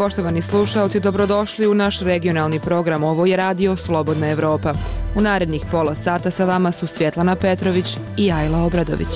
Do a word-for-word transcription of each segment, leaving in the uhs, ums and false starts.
Poštovani slušaoci, dobrodošli u naš regionalni program. Ovo je Radio Slobodna Evropa. U narednih pola sata sa vama su Svjetlana Petrović i Ajla Obradović.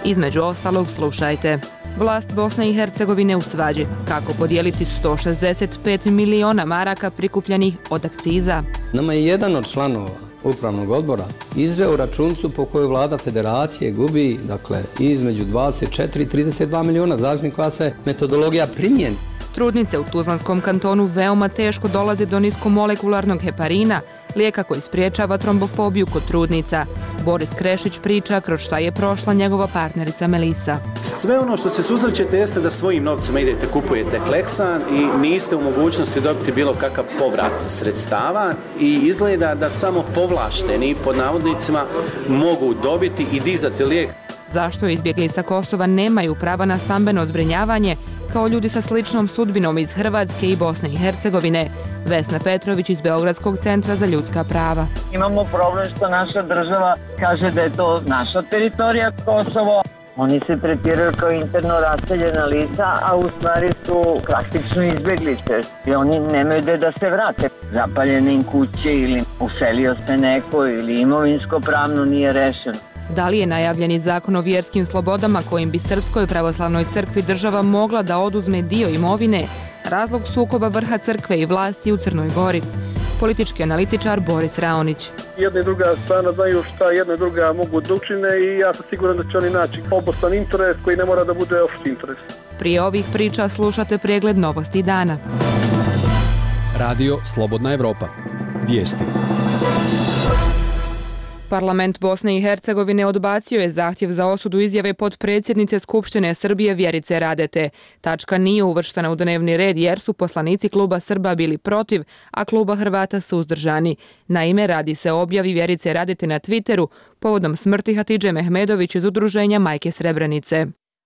Između ostalog slušajte. Vlast Bosne i Hercegovine u svađi. Kako podijeliti sto šezdeset pet miliona maraka prikupljenih od akciza? Nama je jedan od članova upravnog odbora izveo računicu po kojoj vlada federacije gubi, dakle, između dvadeset četiri i trideset dva miliona, zavisno koja se metodologija primjeni. Trudnice u Tuzlanskom kantonu veoma teško dolaze do niskomolekularnog heparina, lijeka koji spriječava trombofobiju kod trudnica. Boris Krešić priča kroz šta je prošla njegova partnerica Melisa. Sve ono što se susrećete jeste da svojim novcima idete, kupujete Kleksan i niste u mogućnosti dobiti bilo kakav povrat sredstava i izgleda da samo povlašteni, pod navodnicima, mogu dobiti i dizati lijek. Zašto izbjegli sa Kosova nemaju prava na stambeno zbrinjavanje kao ljudi sa sličnom sudbinom iz Hrvatske i Bosne i Hercegovine? Vesna Petrović iz Beogradskog centra za ljudska prava. Imamo problem što naša država kaže da je to naša teritorija Kosovo. Oni se tretiraju kao interno raseljena lica, a u stvari su praktično izbjeglice. I oni nemaju gde da se vrate. Zapaljene im kuće ili uselio se neko ili imovinsko pravno nije rešeno. Da li je najavljeni zakon o vjerskim slobodama kojim bi Srpskoj pravoslavnoj crkvi država mogla da oduzme dio imovine razlog sukoba vrha crkve i vlasti u Crnoj Gori? Politički analitičar Boris Raonić. Jedna i druga strana znaju šta jedna i druga mogu da učine i ja sam siguran da će oni naći obostrani interes koji ne mora da bude opšti interes. Prije ovih priča slušate pregled novosti dana. Radio Slobodna Evropa. Vijesti. Parlament Bosne i Hercegovine odbacio je zahtjev za osudu izjave potpredsjednice Skupštine Srbije Vjerice Radete. Tačka nije uvrštena u dnevni red jer su poslanici kluba Srba bili protiv, a kluba Hrvata suzdržani. Naime, radi se o objavi Vjerice Radete na Twitteru povodom smrti Hatidže Mehmedović iz udruženja Majke Srebrenice.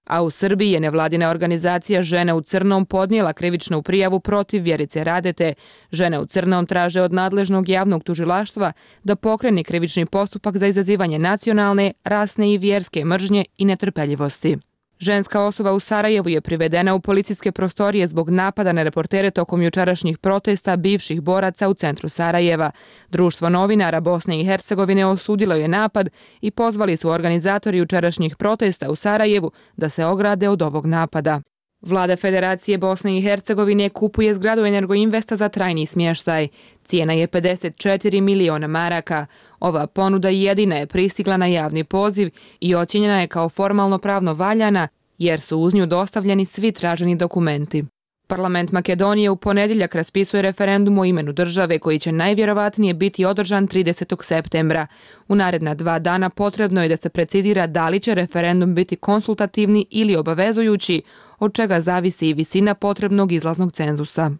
A u Srbiji je nevladina organizacija Žene u crnom podnijela krivičnu prijavu protiv Vjerice Radete. Žene u crnom traže od nadležnog javnog tužilaštva da pokrene krivični postupak za izazivanje nacionalne, rasne i vjerske mržnje i netrpeljivosti. Ženska osoba u Sarajevu je privedena u policijske prostorije zbog napada na reportere tokom jučerašnjih protesta bivših boraca u centru Sarajeva. Društvo novinara Bosne i Hercegovine osudilo je napad i pozvali su organizatori jučerašnjih protesta u Sarajevu da se ograde od ovog napada. Vlada Federacije Bosne i Hercegovine kupuje zgradu Energoinvesta za trajni smještaj. Cijena je pedeset četiri miliona maraka. Ova ponuda jedina je pristigla na javni poziv i ocjenjena je kao formalno pravno valjana jer su uz nju dostavljeni svi traženi dokumenti. Parlament Makedonije u ponedjeljak raspisuje referendum o imenu države koji će najvjerovatnije biti održan tridesetog septembra. U naredna dva dana potrebno je da se precizira da li će referendum biti konsultativni ili obavezujući, od čega zavisi i visina potrebnog izlaznog cenzusa.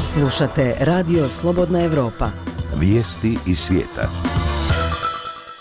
Slušate Radio Slobodna Evropa. Vijesti iz svijeta.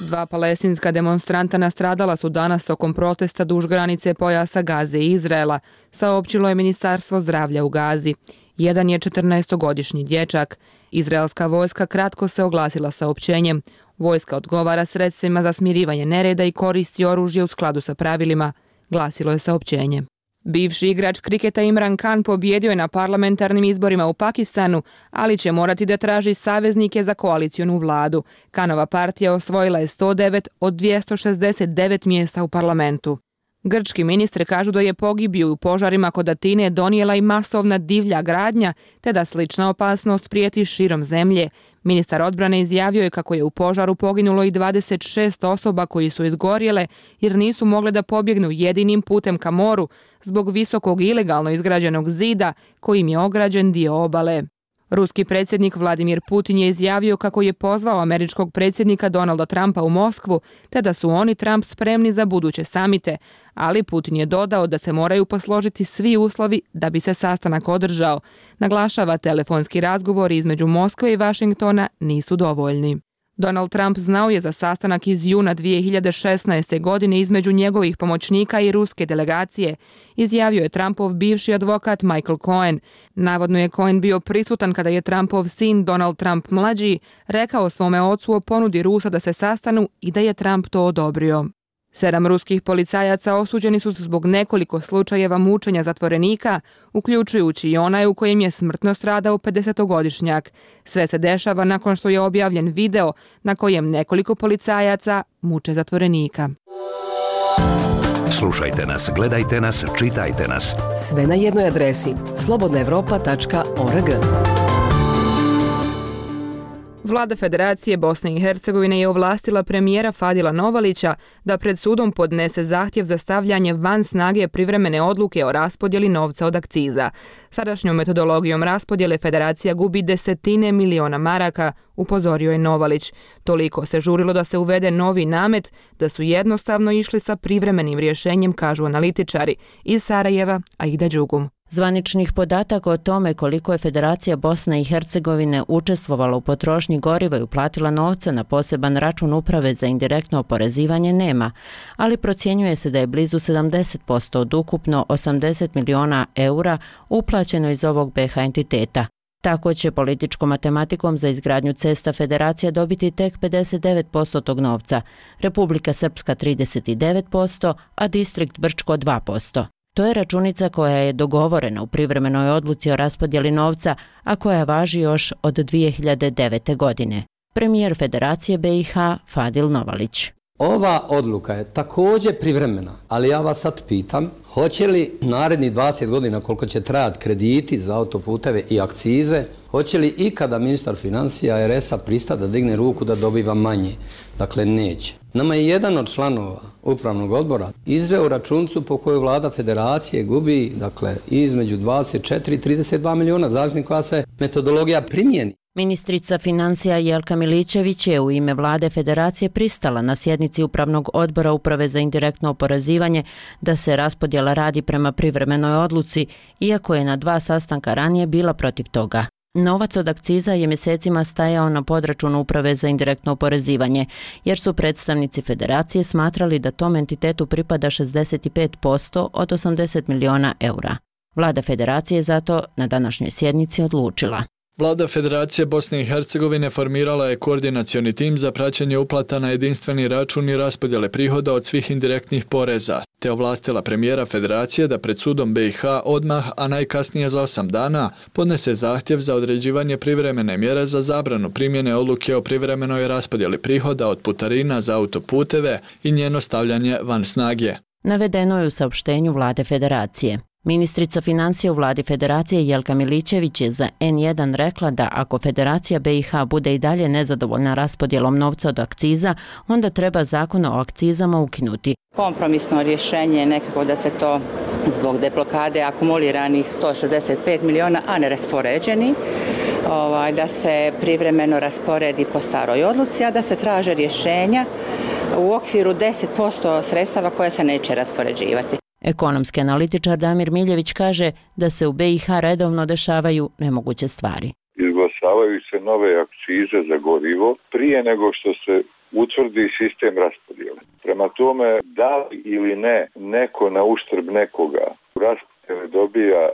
Dva palestinska demonstranta nastradala su danas tokom protesta duž granice pojasa Gaze i Izraela, saopćilo je Ministarstvo zdravlja u Gazi. Jedan je četrnaestogodišnji dječak. Izraelska vojska kratko se oglasila saopćenjem. Vojska odgovara sredstvima za smirivanje nereda i koristi oružje u skladu sa pravilima, glasilo je saopćenje. Bivši igrač kriketa Imran Khan pobjedio je na parlamentarnim izborima u Pakistanu, ali će morati da traži saveznike za koalicionu vladu. Khanova partija osvojila je sto devet od dvjesto šezdeset devet mjesta u parlamentu. Grčki ministri kažu da je pogibiju u požarima kod Atine donijela i masovna divlja gradnja, te da slična opasnost prijeti širom zemlje. Ministar odbrane izjavio je kako je u požaru poginulo i dvadeset šest osoba koji su izgorjele jer nisu mogle da pobjegnu jedinim putem ka moru zbog visokog ilegalno izgrađenog zida kojim je ograđen dio obale. Ruski predsjednik Vladimir Putin je izjavio kako je pozvao američkog predsjednika Donalda Trumpa u Moskvu, te da su oni Trump spremni za buduće samite, ali Putin je dodao da se moraju posložiti svi uslovi da bi se sastanak održao. Naglašava, telefonski razgovori između Moskve i Vašingtona nisu dovoljni. Donald Trump znao je za sastanak iz juna dvije hiljade šesnaeste. godine između njegovih pomoćnika i ruske delegacije, izjavio je Trumpov bivši advokat Michael Cohen. Navodno je Cohen bio prisutan kada je Trumpov sin Donald Trump mlađi rekao svome ocu o ponudi Rusa da se sastanu i da je Trump to odobrio. Sedam ruskih policajaca osuđeni su zbog nekoliko slučajeva mučenja zatvorenika, uključujući i onaj u kojem je smrtno stradao pedesetogodišnjak. Sve se dešava nakon što je objavljen video na kojem nekoliko policajaca muče zatvorenika. Slušajte nas, gledajte nas, čitajte nas. Sve na jednoj adresi slobodna evropa tačka org. Vlada Federacije Bosne i Hercegovine je ovlastila premijera Fadila Novalića da pred sudom podnese zahtjev za stavljanje van snage privremene odluke o raspodjeli novca od akciza. Sadašnjom metodologijom raspodjele Federacija gubi desetine miliona maraka, upozorio je Novalić. Toliko se žurilo da se uvede novi namet, da su jednostavno išli sa privremenim rješenjem, kažu analitičari. Iz Sarajeva, Aida Đugum. Zvaničnih podataka o tome koliko je Federacija Bosne i Hercegovine učestvovala u potrošnji goriva i uplatila novca na poseban račun uprave za indirektno oporezivanje nema, ali procjenjuje se da je blizu sedamdeset posto od ukupno osamdeset miliona eura uplaćeno iz ovog be ha entiteta. Tako će političkom matematikom za izgradnju cesta Federacija dobiti tek pedeset devet posto tog novca, Republika Srpska trideset devet posto, a Distrikt Brčko dva posto. To je računica koja je dogovorena u privremenoj odluci o raspodjeli novca, a koja važi još od dvije hiljade devete. godine. Premijer Federacije be i ha Fadil Novalić. Ova odluka je također privremena, ali ja vas sad pitam, hoće li narednih dvadeset godina koliko će trajati krediti za autoputeve i akcize, hoće li ikada ministar financija er es a pristati da digne ruku da dobiva manje? Dakle, neće. Nama je jedan od članova upravnog odbora izveo računicu po kojoj vlada Federacije gubi, dakle, između dvadeset četiri i trideset dva miliona, zavisno koja se metodologija primijeni. Ministrica financija Jelka Milićević je u ime vlade Federacije pristala na sjednici Upravnog odbora Uprave za indirektno oporezivanje da se raspodjela radi prema privremenoj odluci, iako je na dva sastanka ranije bila protiv toga. Novac od akciza je mjesecima stajao na podračunu Uprave za indirektno oporezivanje, jer su predstavnici Federacije smatrali da tom entitetu pripada šezdeset pet posto od osamdeset miliona eura. Vlada Federacije zato na današnjoj sjednici odlučila. Vlada Federacije Bosne i Hercegovine formirala je koordinacioni tim za praćenje uplata na jedinstveni račun i raspodjele prihoda od svih indirektnih poreza, te ovlastila premijera Federacije da pred sudom be i ha odmah, a najkasnije za osam dana, podnese zahtjev za određivanje privremene mjere za zabranu primjene odluke o privremenoj raspodjeli prihoda od putarina za autoputeve i njeno stavljanje van snage. Navedeno je u saopštenju vlade Federacije. Ministrica financija u vladi Federacije Jelka Milićević je za en jedan rekla da ako Federacija be i ha bude i dalje nezadovoljna raspodjelom novca od akciza, onda treba zakon o akcizama ukinuti. Kompromisno rješenje je nekako da se to zbog deblokade akumuliranih sto šezdeset pet miliona, a neraspoređeni, ovaj, da se privremeno rasporedi po staroj odluci, a da se traže rješenja u okviru deset posto sredstava koja se neće raspoređivati. Ekonomski analitičar Damir Miljević kaže da se u be i ha redovno dešavaju nemoguće stvari. Izglasavaju se nove akcize za gorivo prije nego što se utvrdi sistem raspodjele. Prema tome, da li ili ne neko na uštrb nekoga u raspodjele dobija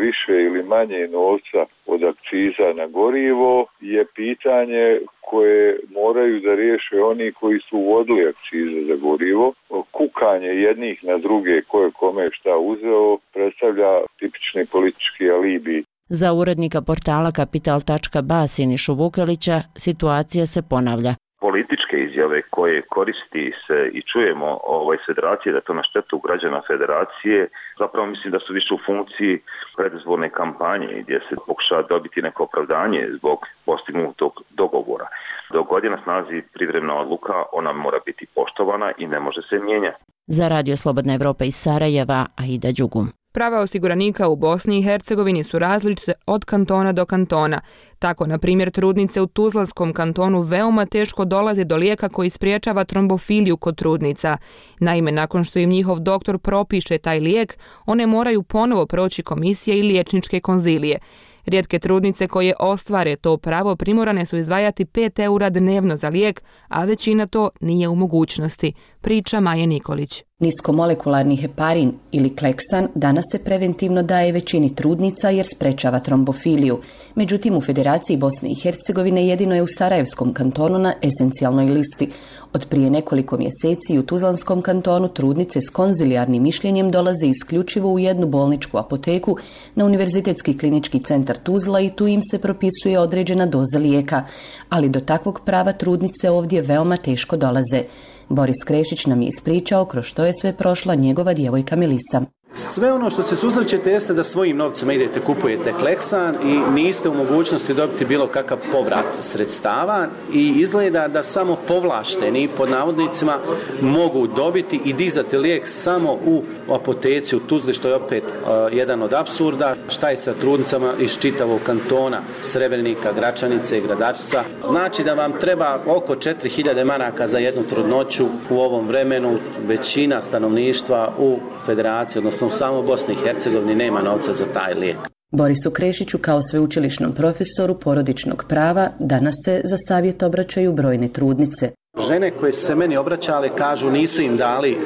više ili manje novca od akciza na gorivo je pitanje koje moraju da riješe oni koji su uvodili akcize za gorivo. Kukanje jednih na druge ko je kome šta uzeo predstavlja tipični politički alibi. Za urednika portala kapital tačka ba Sinišu Vukelića situacija se ponavlja. Političke izjave koje koristi se i čujemo ovaj Federacije, da to na štetu građana Federacije, zapravo mislim da su više u funkciji predizborne kampanje gdje se pokušava dobiti neko opravdanje zbog postignutog dogovora. Dok god je na snazi privremena odluka, ona mora biti poštovana i ne može se mijenjati. Za Radio Slobodna Evropa iz Sarajeva, Aida Đugum. Prava osiguranika u Bosni i Hercegovini su različite od kantona do kantona. Tako, na primjer, trudnice u Tuzlanskom kantonu veoma teško dolaze do lijeka koji spriječava trombofiliju kod trudnica. Naime, nakon što im njihov doktor propiše taj lijek, one moraju ponovo proći komisije i liječničke konzilije. Rijetke trudnice koje ostvare to pravo primorane su izdvajati pet eura dnevno za lijek, a većina to nije u mogućnosti. priča Maja Nikolić. Niskomolekularni heparin ili kleksan danas se preventivno daje većini trudnica jer sprečava trombofiliju. Međutim, u Federaciji Bosne i Hercegovine jedino je u Sarajevskom kantonu na esencijalnoj listi. Od prije nekoliko mjeseci u Tuzlanskom kantonu trudnice s konzilijarnim mišljenjem dolaze isključivo u jednu bolničku apoteku na Univerzitetski klinički centar Tuzla i tu im se propisuje određena doza lijeka. Ali do takvog prava trudnice ovdje veoma teško dolaze. Boris Krešić nam je ispričao kroz što je sve prošla njegova djevojka Melisa. Sve ono što se susrećete jeste da svojim novcima idete, kupujete kleksan i niste u mogućnosti dobiti bilo kakav povrat sredstava i izgleda da samo povlašteni pod navodnicima mogu dobiti i dizati lijek samo u apoteci u Tuzli, što je opet uh, jedan od apsurda. Šta je sa trudnicama iz čitavog kantona Srebrenika, Gračanice i Gradačca? Znači da vam treba oko četiri hiljade maraka za jednu trudnoću u ovom vremenu. Većina stanovništva u Federaciji, odnosno u samo Bosni i Hercegovini, nema novca za taj lijek. Borisu Krešiću kao sveučilišnom profesoru porodičnog prava danas se za savjet obraćaju brojne trudnice. Žene koje su se meni obraćale kažu nisu im dali e,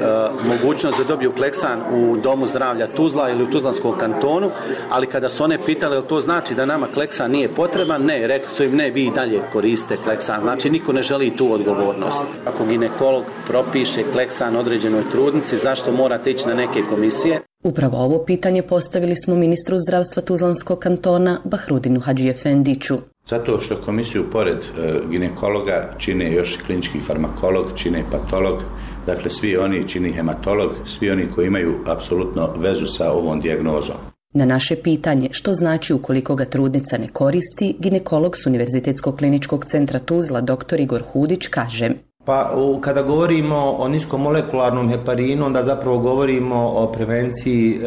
mogućnost da dobiju kleksan u Domu zdravlja Tuzla ili u Tuzlanskom kantonu, ali kada su one pitale jel to znači da nama kleksan nije potreban, ne, rekli su im ne, vi i dalje koriste kleksan. Znači niko ne želi tu odgovornost. Ako ginekolog propiše kleksan određenoj trudnici, zašto morate ići na neke komisije? Upravo ovo pitanje postavili smo ministru zdravstva Tuzlanskog kantona Bahrudinu Hadžiefendiću. Zato što komisiju pored e, ginekologa čine još klinički farmakolog, čine patolog, dakle svi oni čini hematolog, svi oni koji imaju apsolutno vezu sa ovom dijagnozom. Na naše pitanje što znači ukoliko ga trudnica ne koristi, ginekolog s Univerzitetskog kliničkog centra Tuzla dr. Igor Hudić kaže: Pa kada govorimo o niskomolekularnom heparinu, onda zapravo govorimo o prevenciji e,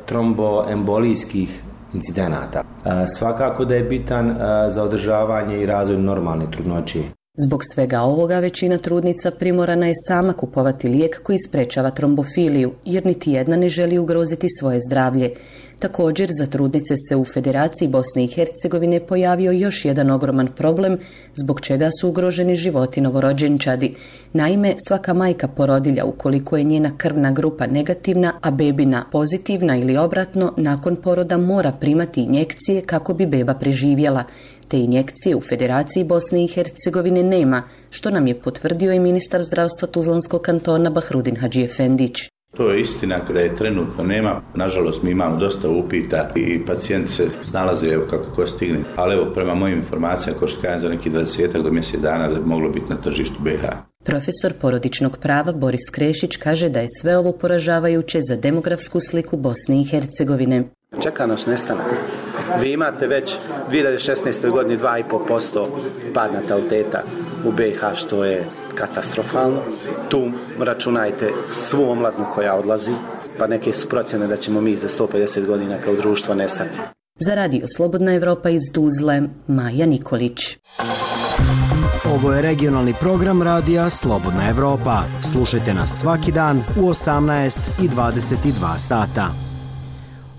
tromboembolijskih incidenata. E, svakako da je bitan e, za održavanje i razvoj normalne trudnoće. Zbog svega ovoga većina trudnica primorana je sama kupovati lijek koji sprečava trombofiliju, jer niti jedna ne želi ugroziti svoje zdravlje. Također, za trudnice se u Federaciji Bosne i Hercegovine pojavio još jedan ogroman problem zbog čega su ugroženi životi novorođenčadi. Naime, svaka majka porodilja, ukoliko je njena krvna grupa negativna, a bebina pozitivna ili obratno, nakon poroda mora primati injekcije kako bi beba preživjela. Te injekcije u Federaciji Bosne i Hercegovine nema, što nam je potvrdio i ministar zdravstva Tuzlanskog kantona Bahrudin Hadžiefendić. To je istina kada je trenutno nema. Nažalost, mi imamo dosta upita i pacijenti se snalaze evo kako ko stigne. Ali evo, prema mojim informacijama, ko što kažem, za neki dvadeset do mjesec dana da bi moglo biti na tržištu B iH. Profesor porodičnog prava Boris Krešić kaže da je sve ovo poražavajuće za demografsku sliku Bosne i Hercegovine. Čeka nas nestanak. Vi imate već u dvije hiljade šesnaestoj godini dva i pol posto pad nataliteta u B iH, što je katastrofalno. Tu računajte svu omladnu koja odlazi, pa neke su procjene da ćemo mi za sto pedeset godina kao društvo nestati. Za Radio Slobodna Evropa iz Tuzle, Maja Nikolić. Ovo je regionalni program Radija Slobodna Evropa. Slušajte nas svaki dan u osamnaest i dvadeset dva sata.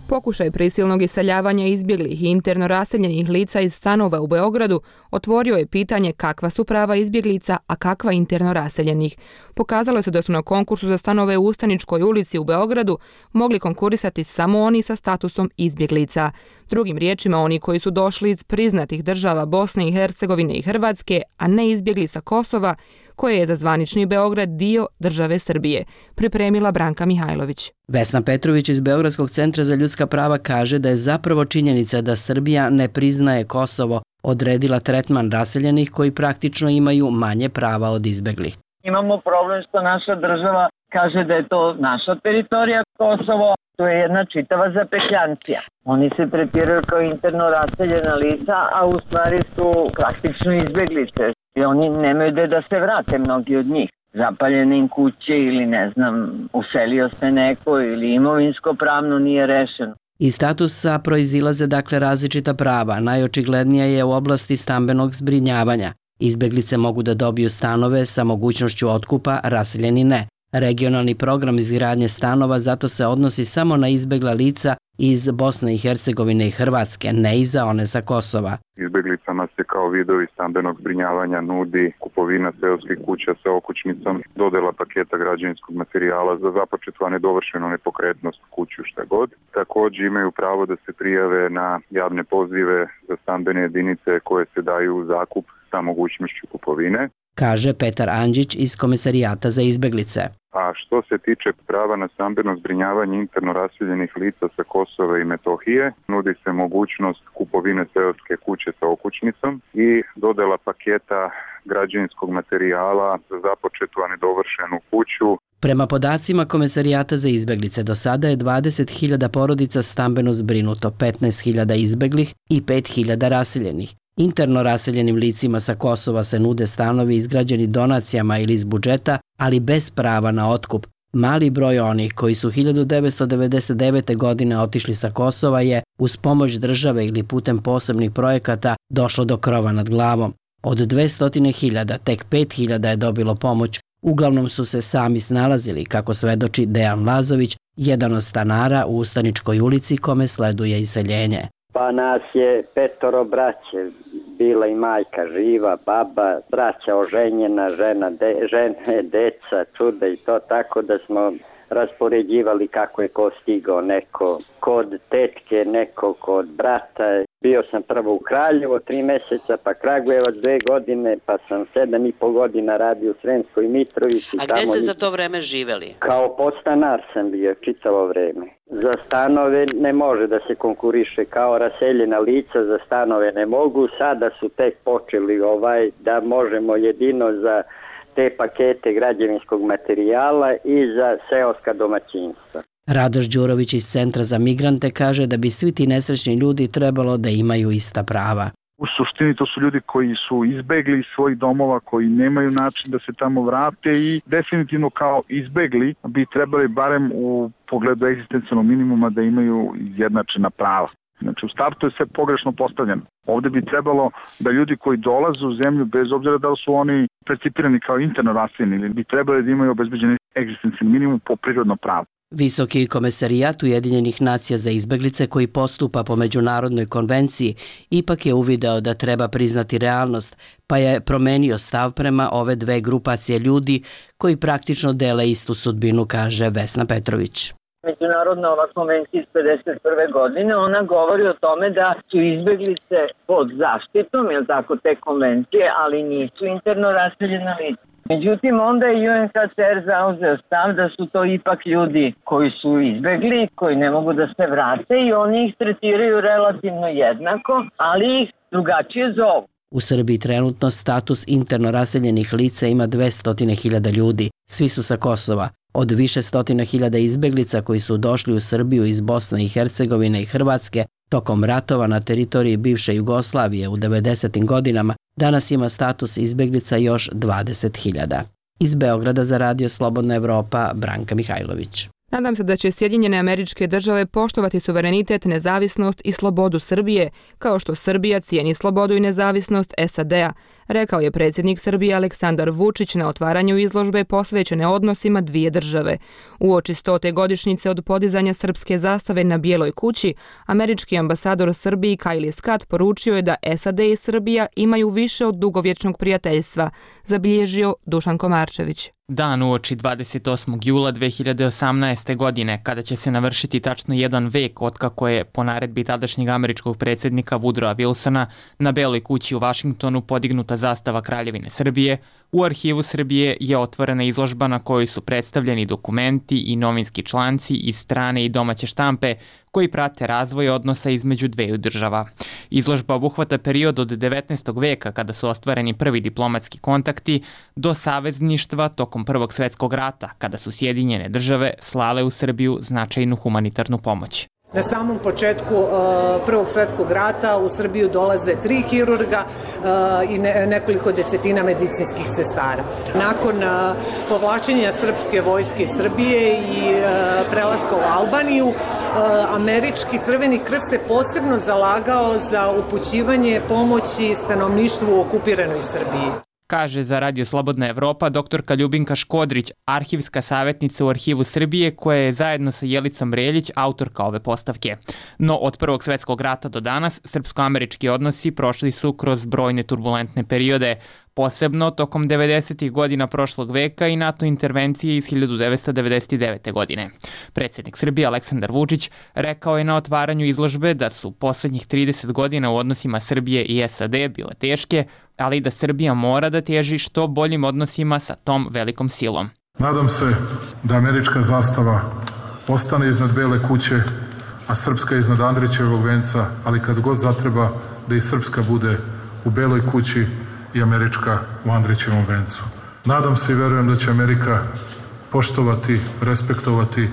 Pokušaj prisilnog iseljavanja izbjeglih i interno raseljenih lica iz stanova u Beogradu otvorio je pitanje kakva su prava izbjeglica, a kakva interno raseljenih. Pokazalo se da su na konkursu za stanove u Ustaničkoj ulici u Beogradu mogli konkurisati samo oni sa statusom izbjeglica. Drugim riječima, oni koji su došli iz priznatih država Bosne i Hercegovine i Hrvatske, a ne izbjegli sa Kosova, koje je za zvanični Beograd dio države Srbije, pripremila Branka Mihajlović. Vesna Petrović iz Beogradskog centra za ljudska prava kaže da je zapravo činjenica da Srbija ne priznaje Kosovo odredila tretman raseljenih koji praktično imaju manje prava od izbeglih. Imamo problem što naša država kaže da je to naša teritorija Kosovo. To je jedna čitava zapetljancija. Oni se tretiraju kao interno raseljena lica, a u stvari su praktično izbeglice. I oni nemaju gde da se vrate, mnogi od njih. Zapaljene im kuće ili ne znam, uselio se neko ili imovinsko pravno nije rešeno. Iz statusa proizilaze dakle različita prava. Najočiglednija je u oblasti stambenog zbrinjavanja. Izbeglice mogu da dobiju stanove sa mogućnošću otkupa, raseljeni ne. Regionalni program izgradnje stanova zato se odnosi samo na izbegla lica iz Bosne i Hercegovine i Hrvatske, ne i za one sa Kosova. Izbeglicama se kao vidovi stambenog zbrinjavanja nudi kupovina seoskih kuća sa okućnicom, dodela paketa građevinskog materijala za započetu, a nedovršenu nepokretnost kuću šta god. Također imaju pravo da se prijave na javne pozive za stambene jedinice koje se daju u zakup sa mogućnošću kupovine, kaže Petar Andžić iz Komesarijata za izbeglice. A što se tiče prava na stambeno zbrinjavanje interno raseljenih lica sa Kosova i Metohije, nudi se mogućnost kupovine seoske kuće sa okućnicom i dodela paketa građevinskog materijala za započetu, a nedovršenu kuću. Prema podacima Komesarijata za izbeglice, do sada je dvadeset hiljada porodica stambeno zbrinuto, petnaest hiljada izbeglih i pet hiljada raseljenih. Interno raseljenim licima sa Kosova se nude stanovi izgrađeni donacijama ili iz budžeta, ali bez prava na otkup. Mali broj onih koji su hiljadu devetsto devedeset devete. godine otišli sa Kosova je, uz pomoć države ili putem posebnih projekata, došlo do krova nad glavom. Od dvesta hiljada tek pet hiljada je dobilo pomoć. Uglavnom su se sami snalazili, kako svedoči Dejan Lazović, jedan od stanara u Ustaničkoj ulici kome sleduje iseljenje. Pa nas je petoro braće, bila i majka živa, baba, braća oženjena, žena, de, žene, deca, čuda i to, tako da smo raspoređivali kako je ko stigao, neko kod tetke, neko kod brata. Bio sam prvo u Kraljevo tri mjeseca, pa Kragujevac dve godine, pa sam sedam i pol godina radio u Sremskoj Mitrovici. A gdje ste za to vreme živeli? Kao podstanar sam bio čitavo vreme. Za stanove ne može da se konkuriše kao raseljena lica, za stanove ne mogu. Sada su tek počeli ovaj da možemo jedino za te pakete građevinskog materijala i za seoska domaćinstva. Radoš Đurović iz Centra za migrante kaže da bi svi ti nesrećni ljudi trebalo da imaju ista prava. U suštini to su ljudi koji su izbegli iz svojih domova, koji nemaju način da se tamo vrate i definitivno kao izbegli bi trebali barem u pogledu egzistencijalnog minimuma da imaju izjednačena prava. Znači u startu je sve pogrešno postavljeno. Ovdje bi trebalo da ljudi koji dolaze u zemlju, bez obzira da li su oni percipirani kao interno raseljeni, ili bi trebali da imaju obezbeđeni egzistencijalni minimum po prirodno pravo. Visoki komesarijat Ujedinjenih nacija za izbeglice koji postupa po međunarodnoj konvenciji ipak je uvideo da treba priznati realnost, pa je promenio stav prema ove dve grupacije ljudi koji praktično dele istu sudbinu, kaže Vesna Petrović. Međunarodna ova konvencija iz pedeset prve. godine, ona govori o tome da su izbeglice pod zaštitom, je tako, te konvencije, ali nisu interno raseljena lica. Međutim, onda je U N H C R zauzeo stav da su to ipak ljudi koji su izbegli, koji ne mogu da se vrate i oni ih tretiraju relativno jednako, ali ih drugačije zovu. U Srbiji trenutno status interno raseljenih lica ima dvesta hiljada ljudi. Svi su sa Kosova. Od više stotina hiljada izbeglica koji su došli u Srbiju iz Bosne i Hercegovine i Hrvatske tokom ratova na teritoriji bivše Jugoslavije u devedesetim godinama, danas ima status izbeglica još dvadeset hiljada. Iz Beograda za Radio Slobodna Evropa, Branka Mihajlović. Nadam se da će Sjedinjene Američke Države poštovati suverenitet, nezavisnost i slobodu Srbije, kao što Srbija cijeni slobodu i nezavisnost S A D-a, rekao je predsjednik Srbije Aleksandar Vučić na otvaranju izložbe posvećene odnosima dvije države. Uoči stote godišnjice od podizanja srpske zastave na Bijeloj kući, američki ambasador Srbiji Kajli Scott poručio je da S A D i Srbija imaju više od dugovječnog prijateljstva, zabilježio Dušan Komarčević. Dan uoči dvadeset osmog jula dve hiljade osamnaeste. godine, kada će se navršiti tačno jedan vek otkako je po naredbi tadašnjeg američkog predsjednika Woodrowa Wilsona na Beloj kući u Vašingtonu podignuta zastava Kraljevine Srbije, u Arhivu Srbije je otvorena izložba na kojoj su predstavljeni dokumenti i novinski članci iz strane i domaće štampe koji prate razvoj odnosa između dveju država. Izložba obuhvata period od devetnaestog. veka kada su ostvareni prvi diplomatski kontakti do savezništva tokom Prvog svjetskog rata kada su Sjedinjene države slale u Srbiju značajnu humanitarnu pomoć. Na samom početku uh, Prvog svjetskog rata u Srbiju dolaze tri hirurga uh, i ne, nekoliko desetina medicinskih sestara. Nakon uh, povlačenja srpske vojske Srbije i uh, prelaska u Albaniju, uh, američki Crveni krst se posebno zalagao za upućivanje pomoći stanovništvu u okupiranoj Srbiji. kaže za Radio Slobodna Evropa doktorka Ljubinka Škodrić, arhivska savjetnica u Arhivu Srbije, koja je zajedno sa Jelicom Reljić autorka ove postavke. No od Prvog svjetskog rata do danas srpsko-američki odnosi prošli su kroz brojne turbulentne periode, posebno tokom devedesetih godina prošlog veka i NATO intervencije iz hiljadu devetsto devedeset devete. godine. Predsjednik Srbije Aleksandar Vučić rekao je na otvaranju izložbe da su posljednjih trideset godina u odnosima Srbije i S A D bile teške, ali da Srbija mora da teži što boljim odnosima sa tom velikom silom. Nadam se da američka zastava ostane iznad Bele kuće, a srpska iznad Andrićevog venca, ali kad god zatreba da i srpska bude u Beloj kući i američka u Andrićevom vencu. Nadam se i verujem da će Amerika poštovati, respektovati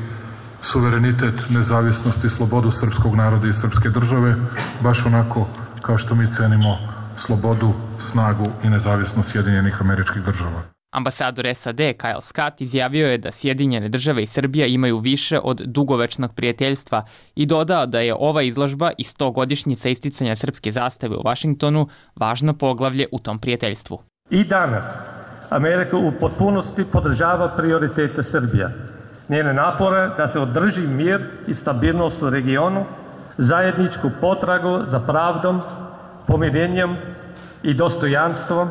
suverenitet, nezavisnost i slobodu srpskog naroda i srpske države, baš onako kao što mi cenimo slobodu, snagu i nezavisnost Sjedinjenih Američkih Država. Ambasador S A D Kyle Scott izjavio je da Sjedinjene Države i Srbija imaju više od dugovečnog prijateljstva i dodao da je ova izložba i stogodišnjica isticanja srpske zastave u Vašingtonu važno poglavlje u tom prijateljstvu. I danas Amerika u potpunosti podržava prioritete Srbija, njene napore da se održi mir i stabilnost u regionu, zajedničku potragu za pravdom, pomirenjem i dostojanstvom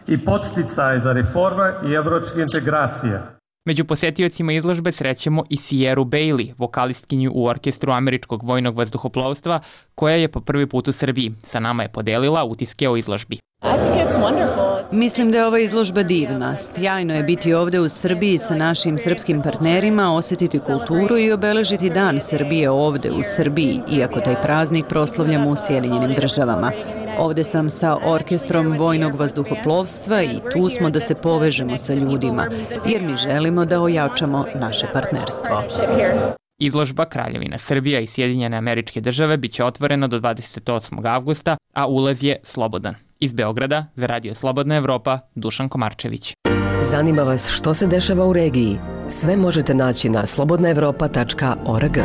i podsticaj za reforme i evropske integracije. Među posjetiocima izložbe srećemo i Sierru Bailey, vokalistkinju u orkestru Američkog vojnog vazduhoplovstva, koja je po prvi put u Srbiji. Sa nama je podelila utiske o izložbi. Mislim da je ova izložba divna. Sjajno je biti ovdje u Srbiji sa našim srpskim partnerima, osjetiti kulturu i obeležiti dan Srbije ovdje u Srbiji, iako taj praznik proslavljamo u Sjedinjenim Državama. Ovdje sam sa orkestrom vojnog vazduhoplovstva i tu smo da se povežemo sa ljudima, jer mi želimo da ojačamo naše partnerstvo. Izložba Kraljevina Srbija i Sjedinjene Američke Države biće otvorena do dvadeset osmog avgusta, a ulaz je slobodan. Iz Beograda za Radio Slobodna Evropa, Dušan Komarčević. Zanima vas što se dešava u regiji? Sve možete naći na slobodna evropa tačka org.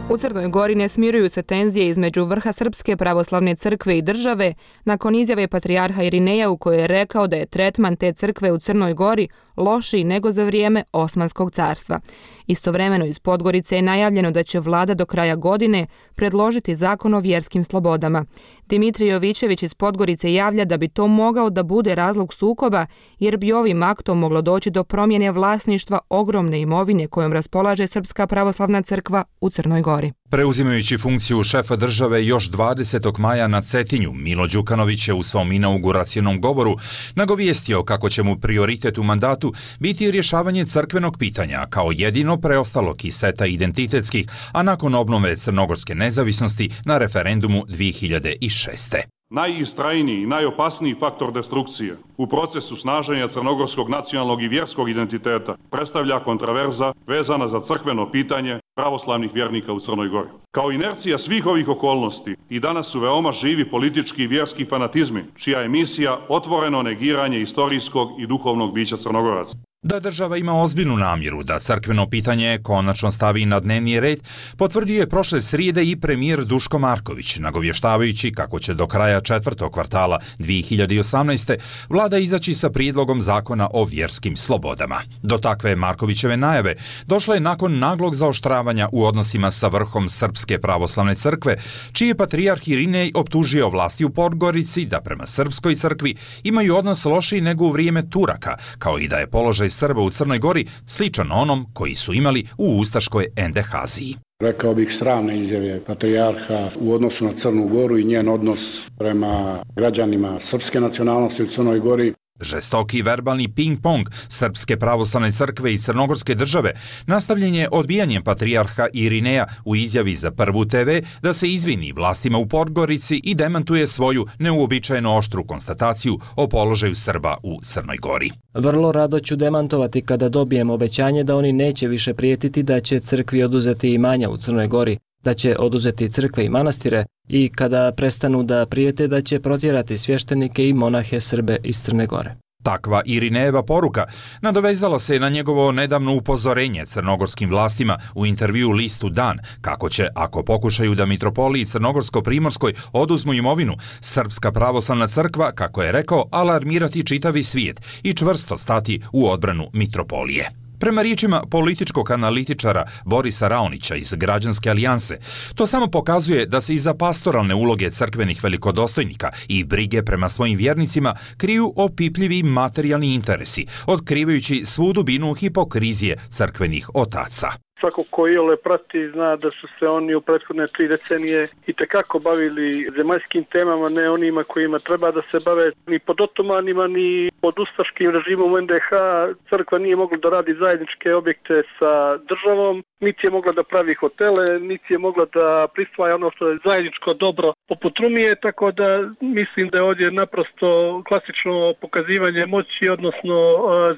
U Crnoj Gori ne smiruju se tenzije između vrha Srpske pravoslavne crkve i države nakon izjave patrijarha Irineja u kojoj je rekao da je tretman te crkve u Crnoj Gori lošiji nego za vrijeme Osmanskog carstva. Istovremeno iz Podgorice je najavljeno da će vlada do kraja godine predložiti zakon o vjerskim slobodama. Dimitrij Jovićević iz Podgorice javlja da bi to mogao da bude razlog sukoba, jer bi ovim aktom moglo doći do promjene vlasništva ogromne imovine kojom raspolaže Srpska pravoslavna crkva u Crnoj Gori. Preuzimajući funkciju šefa države još dvadesetog maja na Cetinju, Milo Đukanović je u svom inauguracionom govoru nagovijestio kako će mu prioritet u mandatu biti rješavanje crkvenog pitanja kao jedino preostalo kiseta identitetskih, a nakon obnove crnogorske nezavisnosti na referendumu dvije hiljade šeste. Najistrajniji i najopasniji faktor destrukcije u procesu snaženja crnogorskog nacionalnog i vjerskog identiteta predstavlja kontraverza vezana za crkveno pitanje pravoslavnih vjernika u Crnoj Gori. Kao inercija svih ovih okolnosti i danas su veoma živi politički i vjerski fanatizmi, čija je misija otvoreno negiranje istorijskog i duhovnog bića Crnogoraca. Da država ima ozbiljnu namjeru da crkveno pitanje konačno stavi na dnevni red, potvrdio je prošle srijede i premijer Duško Marković, nagovještavajući kako će do kraja četvrtog kvartala dvije hiljade osamnaeste. vlada izaći sa prijedlogom zakona o vjerskim slobodama. Do takve Markovićeve najave došla je nakon naglog zaoštravanja u odnosima sa vrhom Srpske pravoslavne crkve, čiji je patrijarh Irinej optužio vlasti u Podgorici da prema Srpskoj crkvi imaju odnos lošiji nego u vrijeme Turaka, kao i da je položaj Srba u Crnoj Gori sličan onom koji su imali u ustaškoj Endehaziji. Rekao bih sramne izjave patrijarha u odnosu na Crnu Goru i njen odnos prema građanima srpske nacionalnosti u Crnoj Gori. Žestoki verbalni ping-pong Srpske pravoslavne crkve i Crnogorske države nastavljen je odbijanjem patrijarha Irineja u izjavi za Prvu te ve da se izvini vlastima u Podgorici i demantuje svoju neuobičajeno oštru konstataciju o položaju Srba u Crnoj Gori. Vrlo rado ću demantovati kada dobijem obećanje da oni neće više prijetiti da će crkvi oduzeti imanja u Crnoj Gori, da će oduzeti crkve i manastire i kada prestanu da prijete da će protjerati svještenike i monahe Srbe iz Crne Gore. Takva Irinejeva poruka nadovezala se na njegovo nedavno upozorenje crnogorskim vlastima u intervju listu Dan kako će, ako pokušaju da mitropoliji Crnogorsko-Primorskoj oduzmu imovinu, Srpska pravoslavna crkva, kako je rekao, alarmirati čitavi svijet i čvrsto stati u odbranu mitropolije. Prema riječima političkog analitičara Borisa Raonića iz Građanske alijanse, to samo pokazuje da se iza pastoralne uloge crkvenih velikodostojnika i brige prema svojim vjernicima kriju opipljivi materijalni interesi, otkrivajući svu dubinu hipokrizije crkvenih otaca. Svako ko iole prati zna da su se oni u prethodne tri decenije itekako bavili zemaljskim temama, ne onima kojima treba da se bave ni pod otomanima, ni pod ustaškim režimom u en de ha. Crkva nije mogla da radi zajedničke objekte sa državom, niti je mogla da pravi hotele, niti je mogla da prisvaja ono što je zajedničko dobro poput Rumije, tako da mislim da je ovdje naprosto klasično pokazivanje moći, odnosno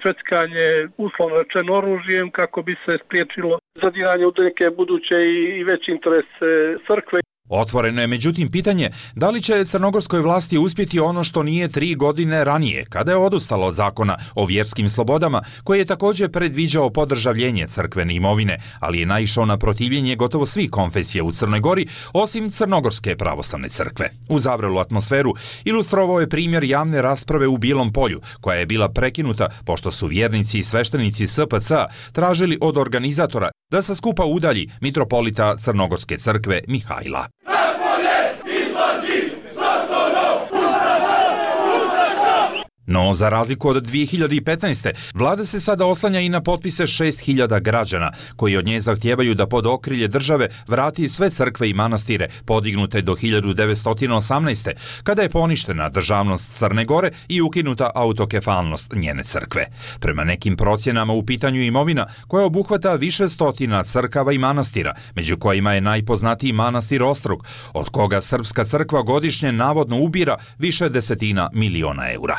zveckanje uslovno rečeno oružjem kako bi se spriječilo zadiranje u neke buduće i veće interese crkve. Otvoreno je međutim pitanje da li će crnogorskoj vlasti uspjeti ono što nije tri godine ranije, kada je odustalo od zakona o vjerskim slobodama, koji je također predviđao podržavljenje crkvene imovine, ali je naišao na protivljenje gotovo svih konfesija u Crnoj Gori, osim Crnogorske pravoslavne crkve. U zavrelu atmosferu ilustrovao je primjer javne rasprave u Bijelom polju, koja je bila prekinuta pošto su vjernici i sveštenici es pe ce a tražili od organizatora da sa skupa udalji mitropolita Crnogorske crkve Mihajla. No, za razliku od dvije hiljade petnaeste. vlada se sada oslanja i na potpise šest hiljada građana, koji od nje zahtijevaju da pod okrilje države vrati sve crkve i manastire podignute do hiljadu devetsto osamnaeste. kada je poništena državnost Crne Gore i ukinuta autokefalnost njene crkve. Prema nekim procjenama u pitanju imovina koja obuhvata više stotina crkava i manastira, među kojima je najpoznatiji manastir Ostrog, od koga Srpska crkva godišnje navodno ubira više desetina miliona eura.